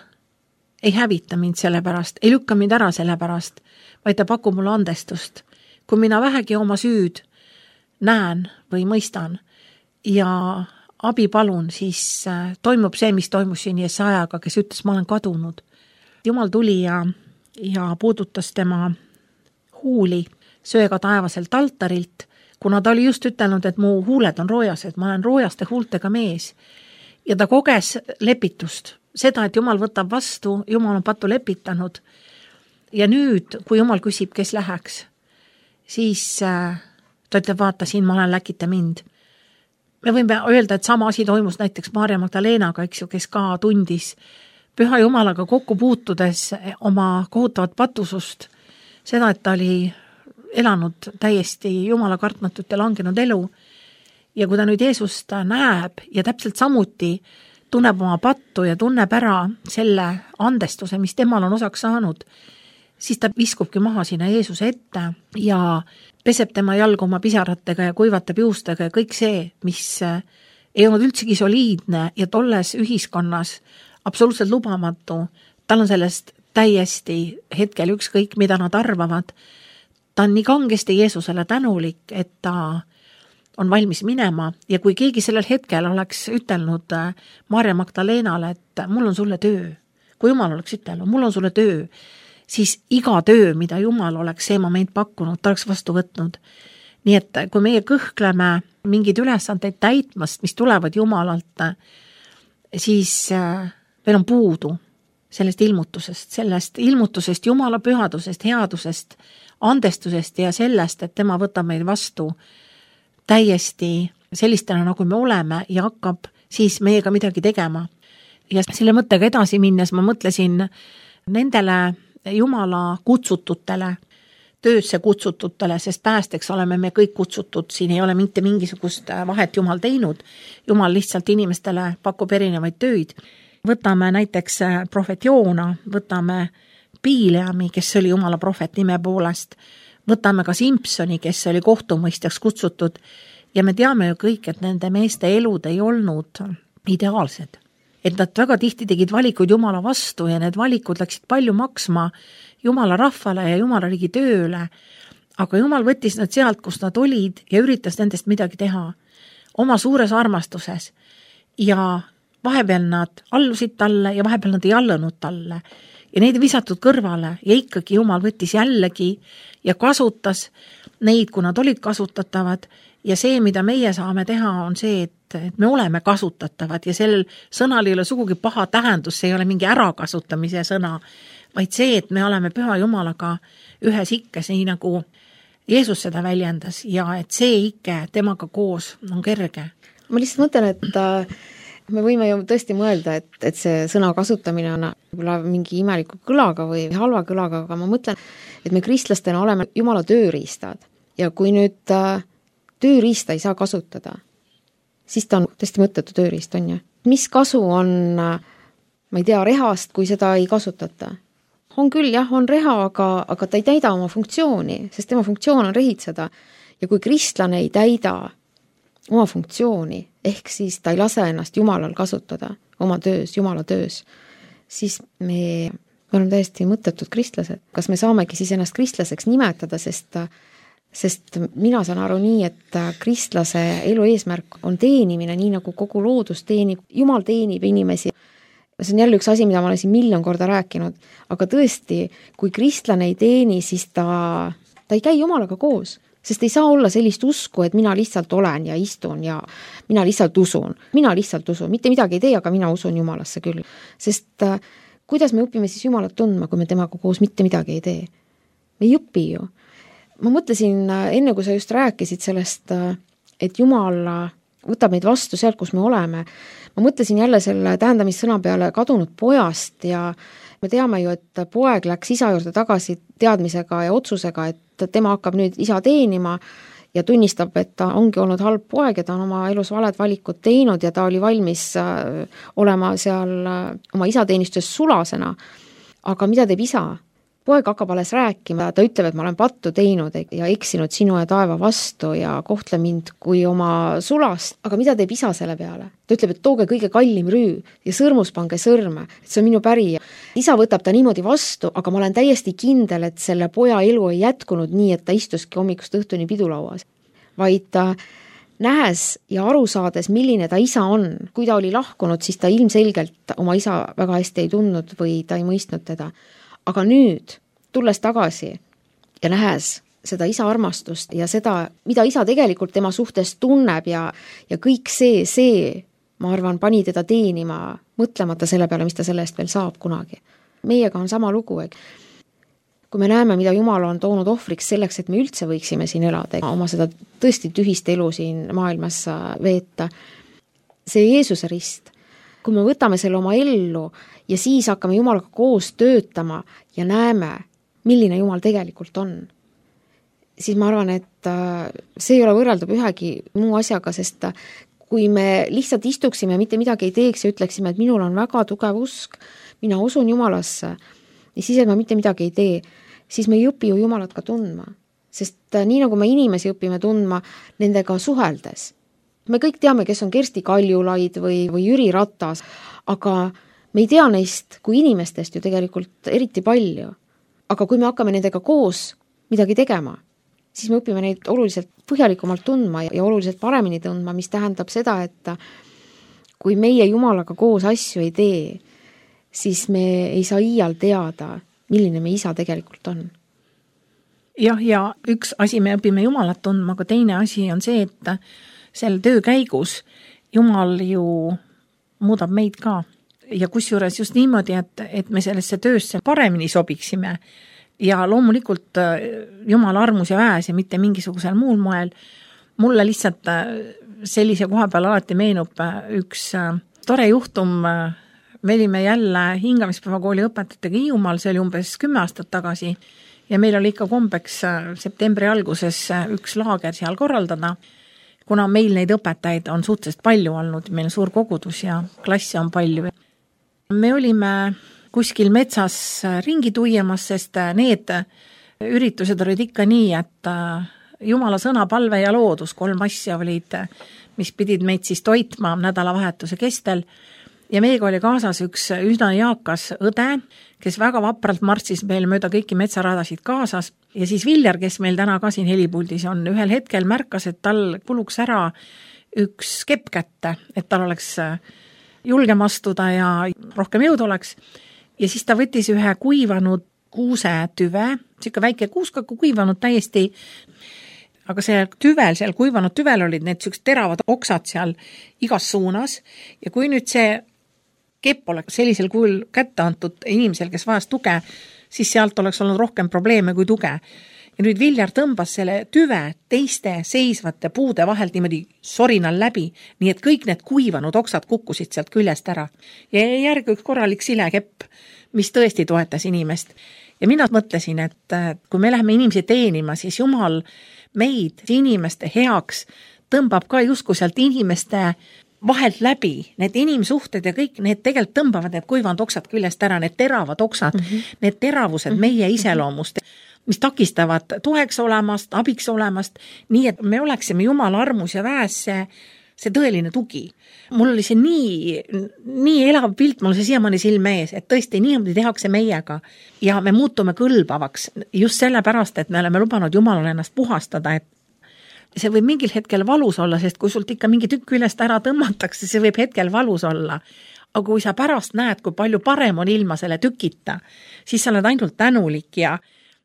ei hävita mind selle pärast, ei lükka mind ära selle pärast, vaid ta pakub mulle andestust. Kui mina vähegi oma süüd näen või mõistan ja abi palun, siis toimub see, mis toimus siin Jesajaga, kes ütles, ma olen kadunud. Jumal tuli ja, ja puudutas tema huuli söega taevaselt altarilt, kuna ta oli just ütelnud, et mu huuled on roojased, ma olen roojaste huultega mees. Ja ta koges lepitust, seda, et Jumal võtab vastu, Jumal on patu lepitanud. Ja nüüd, kui Jumal küsib, kes läheks, siis ta ütleb, vaata, siin ma olen, läkita mind. Me võime öelda, et sama asi toimus näiteks Maarja Magdalenaga, eks ju, kes ka tundis Püha Jumalaga kokku puutudes oma kohutavat patusust, seda, et ta oli elanud täiesti Jumala kartmatut ja langenud elu. Ja kui ta nüüd Jeesust näeb ja täpselt samuti tunneb oma pattu ja tunneb ära selle andestuse, mis temal on osaks saanud, siis ta viskubki maha sinna Jeesuse ette ja peseb tema jalgu oma pisaratega ja kuivatab juustega ja kõik see, mis ei olnud üldsegi soliidne ja tolles ühiskonnas absoluutselt lubamatu, tal on sellest täiesti hetkel ükskõik, mida nad arvavad. Ta on nii kangesti Jeesusele tänulik, et ta on valmis minema ja kui keegi sellel hetkel oleks ütelnud Maarja Magdalenale, et mul on sulle töö, kui Jumal oleks ütelnud, mul on sulle töö, siis iga töö, mida Jumal oleks see moment pakkunud, ta oleks vastu võtnud. Nii et kui meie kõhkleme mingid ülesandeid täitmast, mis tulevad Jumalalt, siis meil on puudu sellest ilmutusest, sellest ilmutusest, Jumala pühadusest, headusest, andestusest ja sellest, et tema võtab meid vastu täiesti sellistena, nagu me oleme ja hakkab siis meiega midagi tegema. Ja selle mõttega edasi minnes ma mõtlesin nendele Jumala kutsututele, töösse kutsututele, sest päästeks oleme me kõik kutsutud, siin ei ole mitte mingisugust vahet Jumal teinud. Jumal lihtsalt inimestele pakub erinevaid tööid. Võtame näiteks prohvet Joona, võtame Piileami, kes oli Jumala prohvet nime poolest, võtame ka Simpsoni, kes oli kohtumõistjaks kutsutud ja me teame ju kõik, et nende meeste elud ei olnud ideaalsed. Et nad väga tihti tegid valikuid Jumala vastu ja need valikud läksid palju maksma Jumala rahvale ja Jumala riigi tööle, aga Jumal võttis nad sealt, kus nad olid ja üritas nendest midagi teha oma suures armastuses ja vahepeal nad allusid talle ja vahepeal nad ei allunud talle ja neid visatud kõrvale ja ikkagi Jumal võttis jällegi ja kasutas neid, kui nad olid kasutatavad ja see, mida meie saame teha, on see, et, et me oleme kasutatavad ja sellel sõnal ei ole sugugi paha tähendus, see ei ole mingi ärakasutamise sõna, vaid see, et me oleme püha Jumalaga ühes ikkes, nii nagu Jeesus seda väljendas ja et see ikke temaga koos on kerge. Ma lihtsalt mõtlen, et me võime ju tõesti mõelda, et, et see sõna kasutamine on võib-olla mingi imeliku kõlaga või halva kõlaga, aga ma mõtlen, et me kristlastena oleme Jumala tööriistad ja kui nüüd tööriista ei saa kasutada, siis ta on tõesti mõttetu tööriist, on ju. Mis kasu on, ma ei tea, rehast, kui seda ei kasutata? On küll, jah, on reha, aga, aga ta ei täida oma funktsiooni, sest tema funktsioon on rehitseda. Ja kui kristlane ei täida oma funktsiooni, ehk siis ta ei lase ennast Jumalal kasutada oma töös, Jumala töös, siis me, me oleme täiesti mõttetud kristlased. Kas me saamegi siis ennast kristlaseks nimetada, sest Sest mina saan aru nii, et kristlase elu eesmärk on teenimine, nii nagu kogu loodus teenib, Jumal teenib inimesi. See on jälle üks asi, mida ma olen siin miljon korda rääkinud, aga tõesti, kui kristlane ei teeni, siis ta, ta ei käi Jumalaga koos, sest ei saa olla sellist usku, et mina lihtsalt olen ja istun ja mina lihtsalt usun. Mina lihtsalt usun, mitte midagi ei tee, aga mina usun Jumalasse küll. Sest kuidas me õpime siis Jumalat tundma, kui me temaga koos mitte midagi ei tee? Me ei õpi ju. Ma mõtlesin, enne kui sa just rääkisid sellest, et Jumal võtab meid vastu sealt, kus me oleme, ma mõtlesin jälle selle tähendamissõna peale kadunud pojast ja me teame ju, et poeg läks isa juurde tagasi teadmisega ja otsusega, et tema hakkab nüüd isa teenima ja tunnistab, et ta ongi olnud halb poeg ja ta on oma elus valed valikud teinud ja ta oli valmis olema seal oma isateenistuses sulasena. Aga mida teeb isa? Poeg hakkab alles rääkima, ta ütleb, et ma olen pattu teinud ja eksinud sinu ja taeva vastu ja kohtle mind kui oma sulast. Aga mida teeb isa selle peale? Ta ütleb, et tooge kõige kallim rüü ja sõrmus pange sõrme, et see on minu pärija. Isa võtab ta niimoodi vastu, aga ma olen täiesti kindel, et selle poja elu ei jätkunud nii, et ta istuski hommikust õhtuni pidulauas. Vaid ta nähes ja aru saades, milline ta isa on. Kui ta oli lahkunud, siis ta ilmselgelt oma isa väga hästi ei tundnud või ta ei mõistnud teda. Aga nüüd, tulles tagasi ja nähes seda isa armastust ja seda, mida isa tegelikult tema suhtes tunneb ja, ja kõik see, see, ma arvan, pani teda teenima, mõtlemata selle peale, mis ta sellest veel saab kunagi. Meiega on sama lugu, et kui me näeme, mida Jumal on toonud ohvriks selleks, et me üldse võiksime siin elada, oma seda tõesti tühist elu siin maailmas veeta, see Jeesuse rist, kui me võtame selle oma ellu ja siis hakkame Jumalaga koos töötama ja näeme, milline Jumal tegelikult on, siis ma arvan, et see ei ole võrreldav ühegi muu asjaga, sest kui me lihtsalt istuksime ja mitte midagi ei teeks ja ütleksime, et minul on väga tugev usk, mina usun Jumalasse ja siis, et ma mitte midagi ei tee, siis me ei õpi ju Jumalat ka tundma. Sest nii nagu me inimesi õpime tundma nendega suheldes. Me kõik teame, kes on Kersti Kaljulaid või, või Jüri Ratas, aga me ei tea neist kui inimestest ju tegelikult eriti palju. Aga kui me hakkame nendega koos midagi tegema, siis me õpime neid oluliselt põhjalikumalt tundma ja oluliselt paremini tundma, mis tähendab seda, et kui meie Jumalaga koos asju ei tee, siis me ei saa iial teada, milline me isa tegelikult on. Jah, ja üks asi me õpime Jumalat tundma, aga teine asi on see, et selle töö käigus Jumal ju muudab meid ka. ja kusjuures just niimoodi, et, et me sellesse töösse paremini sobiksime ja loomulikult Jumala armus ja väes ja mitte mingisugusel muul moel. Mulle lihtsalt sellise koha peal alati meenub üks tore juhtum. Me olime jälle hingamispäevakooli õpetajatega Hiiumaal, see oli umbes kümme aastat tagasi ja meil oli ikka kombeks septembri alguses üks laager seal korraldada, kuna meil neid õpetajaid on suhteliselt palju olnud, meil on suur kogudus ja klasse on palju. Me olime kuskil metsas ringi tuiemas, sest need üritused olid ikka nii, et Jumala sõna, palve ja loodus, kolm asja olid, mis pidid meid siis toitma nädalavahetuse kestel. Ja meiega oli kaasas üks üsna jaakas õde, kes väga vapralt martsis meil mööda kõiki metsaradasid kaasas. Ja siis Viljar, kes meil täna ka siin helipuldis on, ühel hetkel märkas, et tal kuluks ära üks kepp kätte, et tal oleks julgem astuda ja rohkem jõud oleks. Ja siis ta võttis ühe kuivanud kuuse tüve, siuke väike kuuska kuivanud täiesti, aga see tüvel, seal kuivanud tüvel olid need siuksed teravad oksad seal igas suunas ja kui nüüd see kepp oleks sellisel kujul kätte antud inimesel, kes vajas tuge, siis sealt oleks olnud rohkem probleeme kui tuge. Ja nüüd Viljar tõmbas selle tüve teiste seisvate puude vahelt niimoodi sorinal läbi, nii et kõik need kuivanud oksad kukkusid sealt küljest ära. Ja järgi üks korralik silekepp, mis tõesti toetas inimest. Ja mina mõtlesin, et kui me läheme inimesi teenima, siis Jumal meid inimeste heaks tõmbab ka justkui sealt inimeste vahelt läbi, need inimsuhted ja kõik need tegelikult tõmbavad need kuivanud oksad küljest ära, need teravad oksad, mm -hmm. need teravused meie iseloomust, mis takistavad toeks olemast, abiks olemast, nii et me oleksime Jumala armus ja väes see, see tõeline tugi. Mul oli see nii, nii elav pilt, mul see siiamaani silme ees, et tõesti niimoodi tehakse meiega ja me muutume kõlbavaks just sellepärast, et me oleme lubanud Jumalale ennast puhastada, et see võib mingil hetkel valus olla, sest kui sult ikka mingi tükk ülest ära tõmmatakse, see võib hetkel valus olla. Aga kui sa pärast näed, kui palju parem on ilma selle tükita, siis sa oled ainult tänulik ja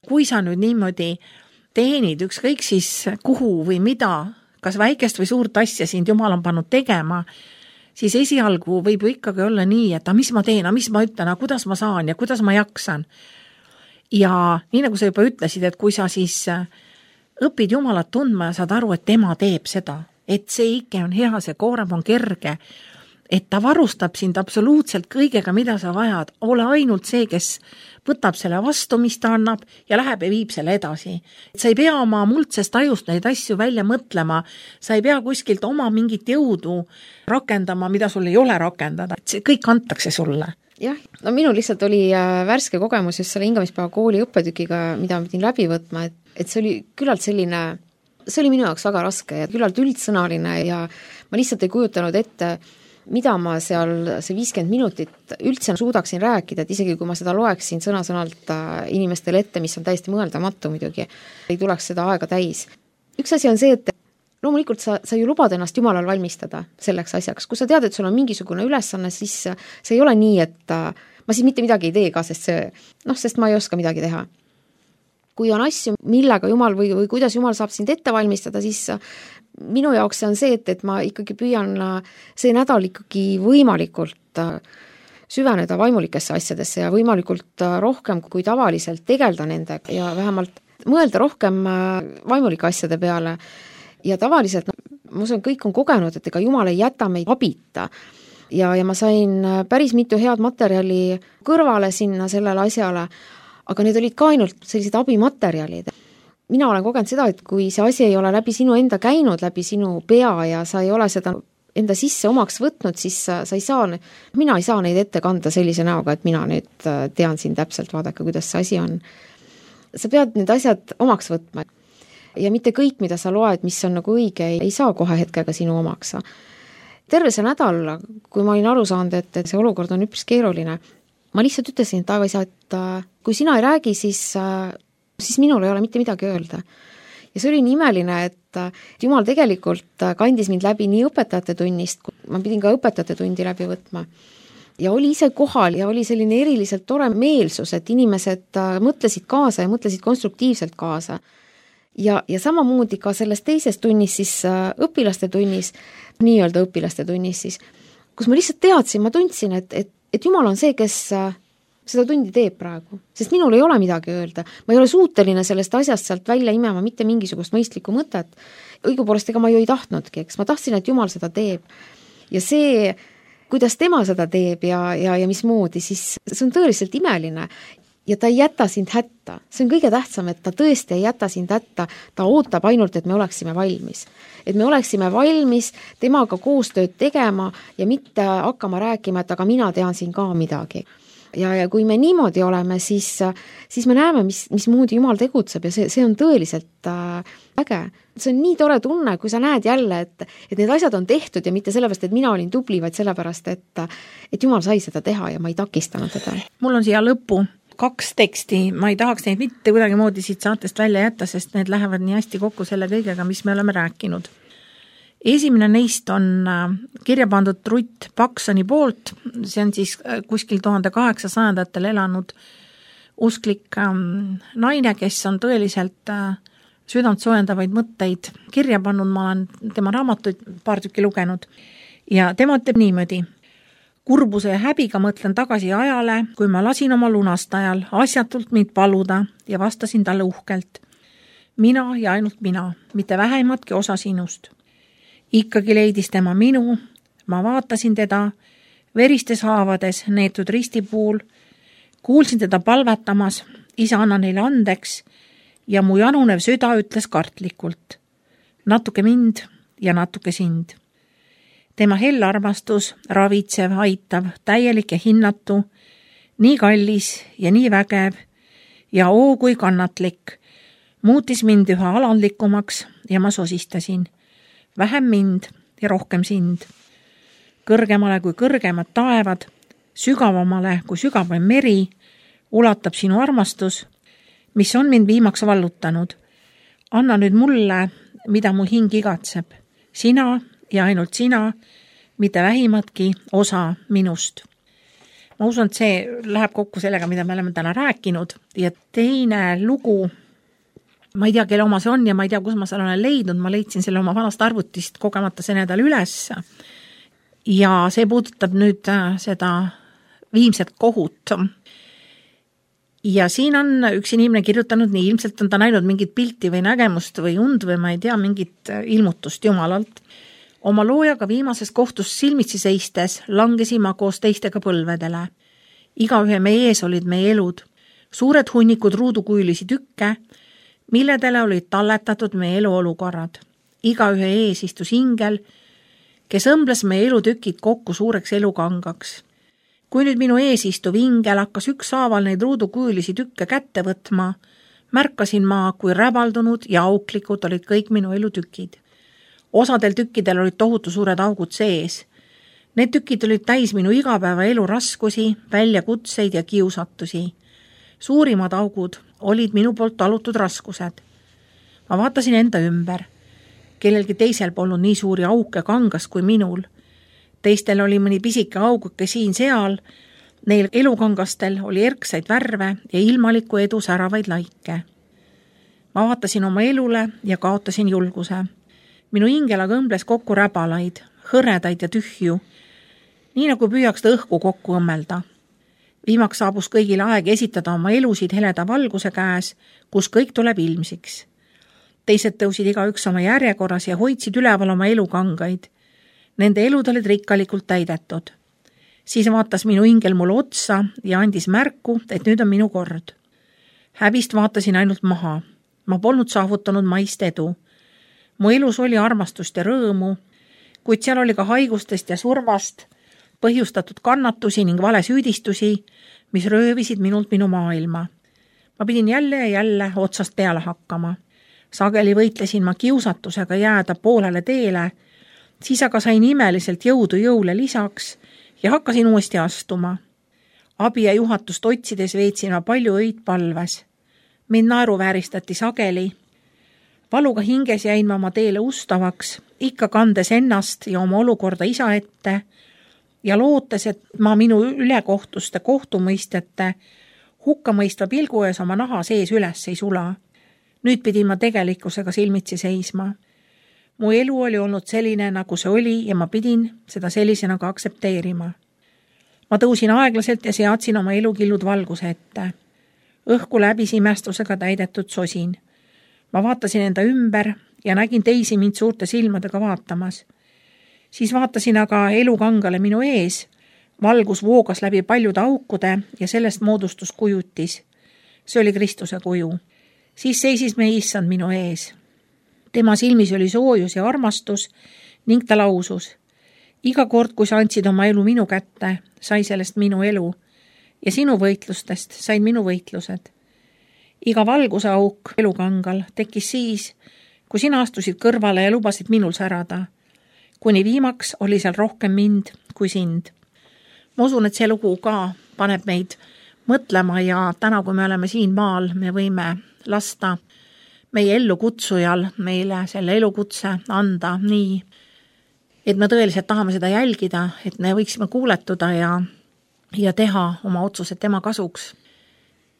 kui sa nüüd niimoodi teenid ükskõik siis kuhu või mida, kas väikest või suurt asja sind Jumal on pannud tegema, siis esialgu võib ju ikkagi olla nii, et a, mis ma teen, a, mis ma ütlen, a, kuidas ma saan ja kuidas ma jaksan. Ja nii nagu sa juba ütlesid, et kui sa siis õpid Jumalat tundma ja saad aru, et tema teeb seda, et see ikke on hea, see koorem on kerge, et ta varustab sind absoluutselt kõigega, mida sa vajad. Ole ainult see, kes võtab selle vastu, mis ta annab ja läheb ja viib selle edasi. Sa ei pea oma muldsest ajust neid asju välja mõtlema, sa ei pea kuskilt oma mingit jõudu rakendama, mida sul ei ole rakendada. See kõik antakse sulle. Jah, no minul lihtsalt oli värske kogemus just selle hingamispäeva kooli õppetükiga, mida ma pidin läbi võtma, et, et see oli küllalt selline, see oli minu jaoks väga raske ja küllalt üldsõnaline ja ma lihtsalt ei kujutanud ette, mida ma seal see viiskümmend minutit üldse suudaksin rääkida, et isegi kui ma seda loeksin sõna-sõnalt inimestele ette, mis on täiesti mõeldamatu muidugi, ei tuleks seda aega täis. Üks asi on see, et loomulikult sa, sa ju lubad ennast Jumalal valmistada selleks asjaks. Kui sa tead, et sul on mingisugune ülesanne, siis see ei ole nii, et ma siis mitte midagi ei tee ka, sest see, noh, sest ma ei oska midagi teha. Kui on asju, millega Jumal või, või kuidas Jumal saab sind ette valmistada, siis minu jaoks see on see, et, et ma ikkagi püüan see nädal ikkagi võimalikult süveneda vaimulikesse asjadesse ja võimalikult rohkem kui tavaliselt tegelda nendega ja vähemalt mõelda rohkem vaimulike asjade peale. Ja tavaliselt, no, ma usun, kõik on kogenud, et ega Jumal ei jäta meid abita. Ja, ja ma sain päris mitu head materjali kõrvale sinna sellele asjale, aga need olid ka ainult sellised abimaterjalid. Mina olen kogenud seda, et kui see asi ei ole läbi sinu enda käinud, läbi sinu pea ja sa ei ole seda enda sisse omaks võtnud, siis sa, sa ei saa, mina ei saa neid ette kanda sellise näoga, et mina nüüd tean siin täpselt, vaadake, kuidas see asi on. Sa pead need asjad omaks võtma. Ja mitte kõik, mida sa loed, mis on nagu õige, ei saa kohe hetkega sinu omaks. Terve see nädal, kui ma olin aru saanud, et, et see olukord on üpris keeruline, ma lihtsalt ütlesin, et Taeva isa, et kui sina ei räägi, siis, siis minul ei ole mitte midagi öelda. Ja see oli nii imeline, et Jumal tegelikult kandis mind läbi nii õpetajate tunnist, ma pidin ka õpetajate tundi läbi võtma. Ja oli ise kohal ja oli selline eriliselt tore meelsus, et inimesed mõtlesid kaasa ja mõtlesid konstruktiivselt kaasa. Ja, ja samamoodi ka selles teises tunnis, siis õpilaste tunnis, nii-öelda õpilaste tunnis siis, kus ma lihtsalt teadsin, ma tundsin, et, et et Jumal on see, kes seda tundi teeb praegu, sest minul ei ole midagi öelda. Ma ei ole suuteline sellest asjast sealt välja imema mitte mingisugust mõistlikku mõtet. Õigupoolest ega ma ju ei tahtnudki, eks ma tahtsin, et Jumal seda teeb. Ja see, kuidas tema seda teeb ja, ja, ja mismoodi, siis see on tõeliselt imeline. Ja ta ei jäta sind hätta. See on kõige tähtsam, et ta tõesti ei jäta sind hätta. Ta ootab ainult, et me oleksime valmis. Et me oleksime valmis temaga koostööd tegema ja mitte hakkama rääkima, et aga mina tean siin ka midagi. Ja, ja kui me niimoodi oleme, siis, siis me näeme, mis, mismoodi Jumal tegutseb ja see, see on tõeliselt äh, äge. See on nii tore tunne, kui sa näed jälle, et, et need asjad on tehtud ja mitte sellepärast, et mina olin tubli, vaid sellepärast, et, et Jumal sai seda teha ja ma ei takistanud teda. Mul on siia lõppu kaks teksti, ma ei tahaks neid mitte kuidagi moodi siit saatest välja jätta, sest need lähevad nii hästi kokku selle kõigega, mis me oleme rääkinud. Esimene neist on kirja pandud Rutt Paksoni poolt, see on siis kuskil tuhande kaheksasajandatel elanud usklik naine, kes on tõeliselt südant soojendavaid mõtteid kirja pannud, ma olen tema raamatuid paar tükki lugenud ja tema ütleb niimoodi. Kurbuse ja häbiga mõtlen tagasi ajale, kui ma lasin oma lunastajal asjatult mind paluda ja vastasin talle uhkelt. Mina ja ainult mina, mitte vähematki osa sinust. Ikkagi leidis tema minu, ma vaatasin teda, veristes haavades neetud ristipuul, kuulsin teda palvetamas, isa anna neile andeks ja mu janunev süda ütles kartlikult. Natuke mind ja natuke sind. Tema hell armastus, ravitsev, aitav, täielik ja hinnatu, nii kallis ja nii vägev ja oo kui kannatlik, muutis mind üha alandlikumaks ja ma sosistasin. Vähem mind ja rohkem sind. Kõrgemale kui kõrgemad taevad, sügavamale kui sügavam meri, ulatab sinu armastus, mis on mind viimaks vallutanud. Anna nüüd mulle, mida mu hing igatseb. Sina ja ainult sina, mitte vähimatki osa minust. Ma usun, et see läheb kokku sellega, mida me oleme täna rääkinud. Ja teine lugu, ma ei tea, kelle oma see on ja ma ei tea, kus ma selle olen leidnud. Ma leidsin selle oma vanast arvutist kogemata see nädal üles. Ja see puudutab nüüd seda viimset kohut. Ja siin on üks inimene kirjutanud nii, ilmselt on ta näinud mingit pilti või nägemust või und või ma ei tea, mingit ilmutust Jumalalt. Oma loojaga viimases kohtus silmitsi seistes langesin ma koos teistega põlvedele. Igaühe meie ees olid meie elud. Suured hunnikud ruudukuülisi tükke, milledele olid talletatud meie eluolukorrad. Igaühe ees istus ingel, kes õmbles meie elutükid kokku suureks elukangaks. Kui nüüd minu ees istuv ingel hakkas ükshaaval neid ruudukuülisi tükke kätte võtma, märkasin ma, kui räbaldunud ja auklikud olid kõik minu elutükid. Osadel tükkidel olid tohutu suured augud sees. Need tükid olid täis minu igapäeva elu raskusi, väljakutseid ja kiusatusi. Suurimad augud olid minu poolt talutud raskused. Ma vaatasin enda ümber. Kellelgi teisel polnud nii suuri auke kangas kui minul. Teistel oli mõni pisike auguke siin seal. Neil elukangastel oli erksaid värve ja ilmaliku edu säravaid laike. Ma vaatasin oma elule ja kaotasin julguse. Minu ingel aga õmbles kokku räbalaid, hõredaid ja tühju, nii nagu püüaks ta õhku kokku õmmelda. Viimaks saabus kõigile aeg esitada oma elusid heleda valguse käes, kus kõik tuleb ilmsiks. Teised tõusid igaüks oma järjekorras ja hoidsid üleval oma elukangaid. Nende elud olid rikkalikult täidetud. Siis vaatas minu ingel mulle otsa ja andis märku, et nüüd on minu kord. Häbist vaatasin ainult maha. Ma polnud saavutanud maist edu. Mu elus oli armastust ja rõõmu, kuid seal oli ka haigustest ja surmast põhjustatud kannatusi ning valesüüdistusi, mis röövisid minult minu maailma. Ma pidin jälle ja jälle otsast peale hakkama. Sageli võitlesin ma kiusatusega jääda poolele teele, siis aga sain imeliselt jõudu jõule lisaks ja hakkasin uuesti astuma. Abi ja juhatust otsides veetsin ma palju öid palves. Mind naeruvääristati sageli. Valuga hinges jäin ma oma teele ustavaks, ikka kandes ennast ja oma olukorda isa ette ja lootes, et ma minu ülekohtuste kohtumõistjate hukkamõistva pilgu ees oma naha sees üles ei sula. Nüüd pidin ma tegelikkusega silmitsi seisma. Mu elu oli olnud selline, nagu see oli ja ma pidin seda sellisena ka aksepteerima. ma tõusin aeglaselt ja seadsin oma elukillud valguse ette. Õhku läbis imestusega täidetud sosin. Ma vaatasin enda ümber ja nägin teisi mind suurte silmadega vaatamas. Siis vaatasin aga elukangale minu ees. Valgus voogas läbi paljude aukude ja sellest moodustus kujutis. See oli Kristuse kuju. Siis seisis meie issand minu ees. Tema silmis oli soojus ja armastus ning ta lausus. Iga kord, kui sa andsid oma elu minu kätte, sai sellest minu elu ja sinu võitlustest sain minu võitlused. Iga valguse auk elukangal tekkis siis, kui sina astusid kõrvale ja lubasid minul särada. Kuni viimaks oli seal rohkem mind kui sind. Ma usun, et see lugu ka paneb meid mõtlema ja täna, kui me oleme siin maal, me võime lasta meie ellukutsujal meile selle elukutse anda nii, et me tõeliselt tahame seda jälgida, et me võiksime kuuletuda ja, ja teha oma otsused tema kasuks.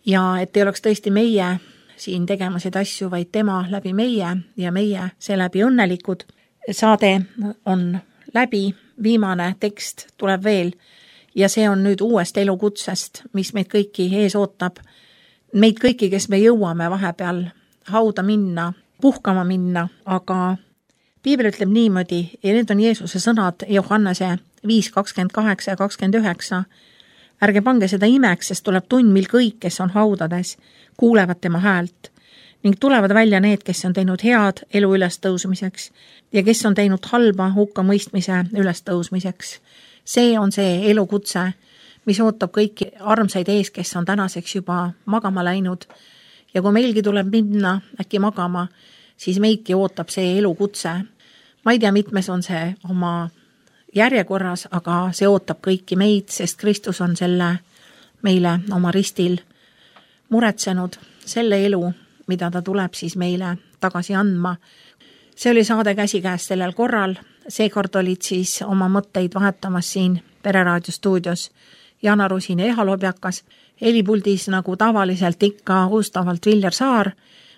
Ja et ei oleks tõesti meie siin tegemasid asju, vaid tema läbi meie ja meie seeläbi õnnelikud. Saade on läbi, viimane tekst tuleb veel ja see on nüüd uuest elukutsest, mis meid kõiki ees ootab. Meid kõiki, kes me jõuame vahepeal hauda minna, puhkama minna, aga Piibel ütleb niimoodi, ja need on Jeesuse sõnad Johannese viis kakskümmend kaheksa ja kakskümmend üheksa. Ärge pange seda imeks, sest tuleb tund, mil kõik, kes on haudades, kuulevad tema häält ning tulevad välja need, kes on teinud head elu ülestõusmiseks ja kes on teinud halba hukka mõistmise ülestõusmiseks. See on see elukutse, mis ootab kõiki armsaid ees, kes on tänaseks juba magama läinud. Ja kui meilgi tuleb minna äkki magama, siis meidki ootab see elukutse. Ma ei tea, mitmes on see oma järjekorras, aga see ootab kõiki meid, sest Kristus on selle meile oma ristil muretsenud, selle elu, mida ta tuleb siis meile tagasi andma. See oli saade Käsikäes sellel korral. Seekord olid siis oma mõtteid vahetamas siin Pereraadio stuudios Jana Rusin ja Eha Lobjakas. Helipuldis nagu tavaliselt ikka uustavalt Viljar Saar.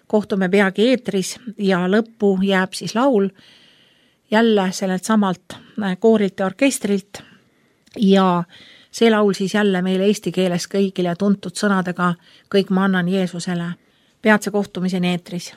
Kohtume peagi eetris ja lõppu jääb siis laul jälle sellelt samalt koorilt ja orkestrilt. Ja see laul siis jälle meile eesti keeles kõigile tuntud sõnadega Kõik ma annan Jeesusele. Peatse kohtumiseni eetris.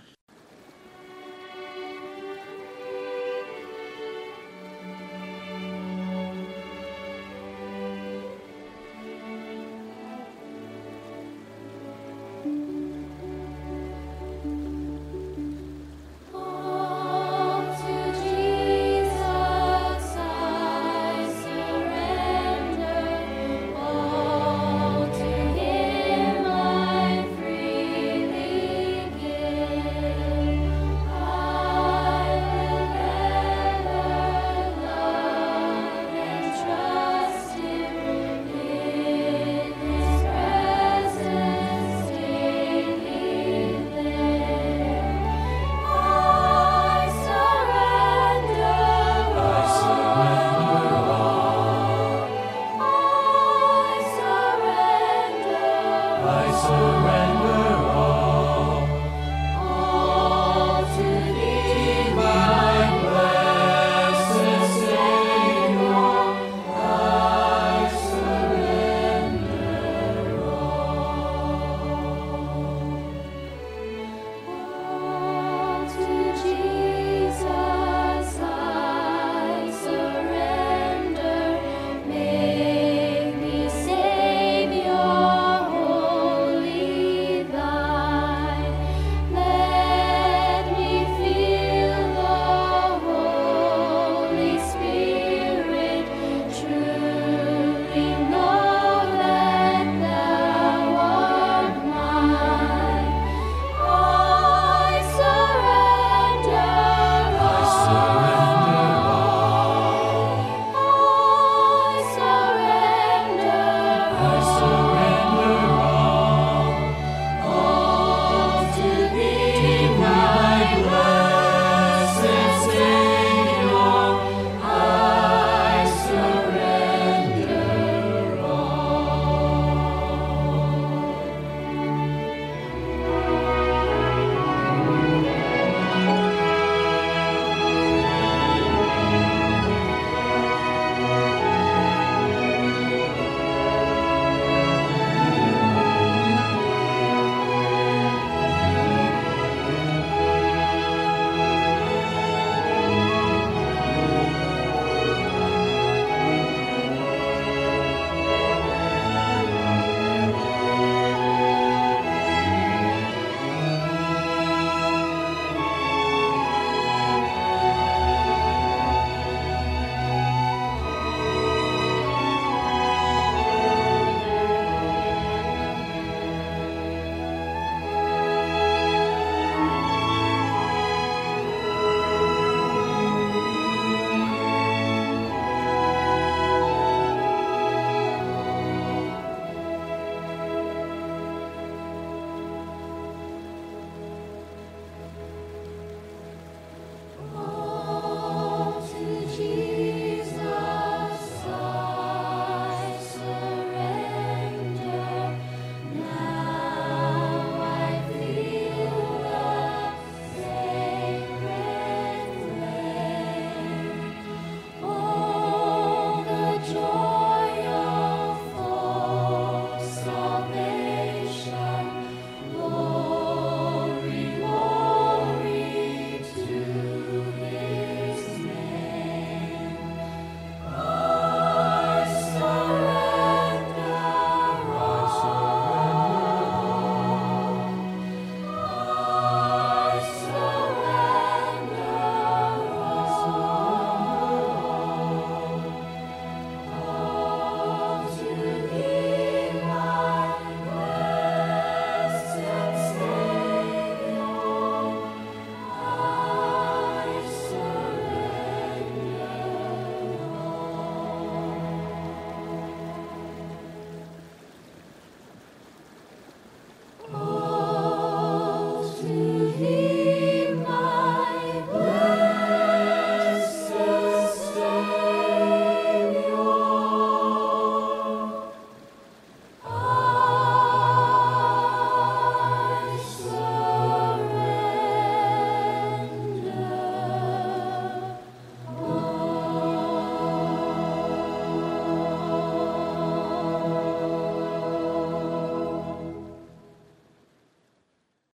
I surrender.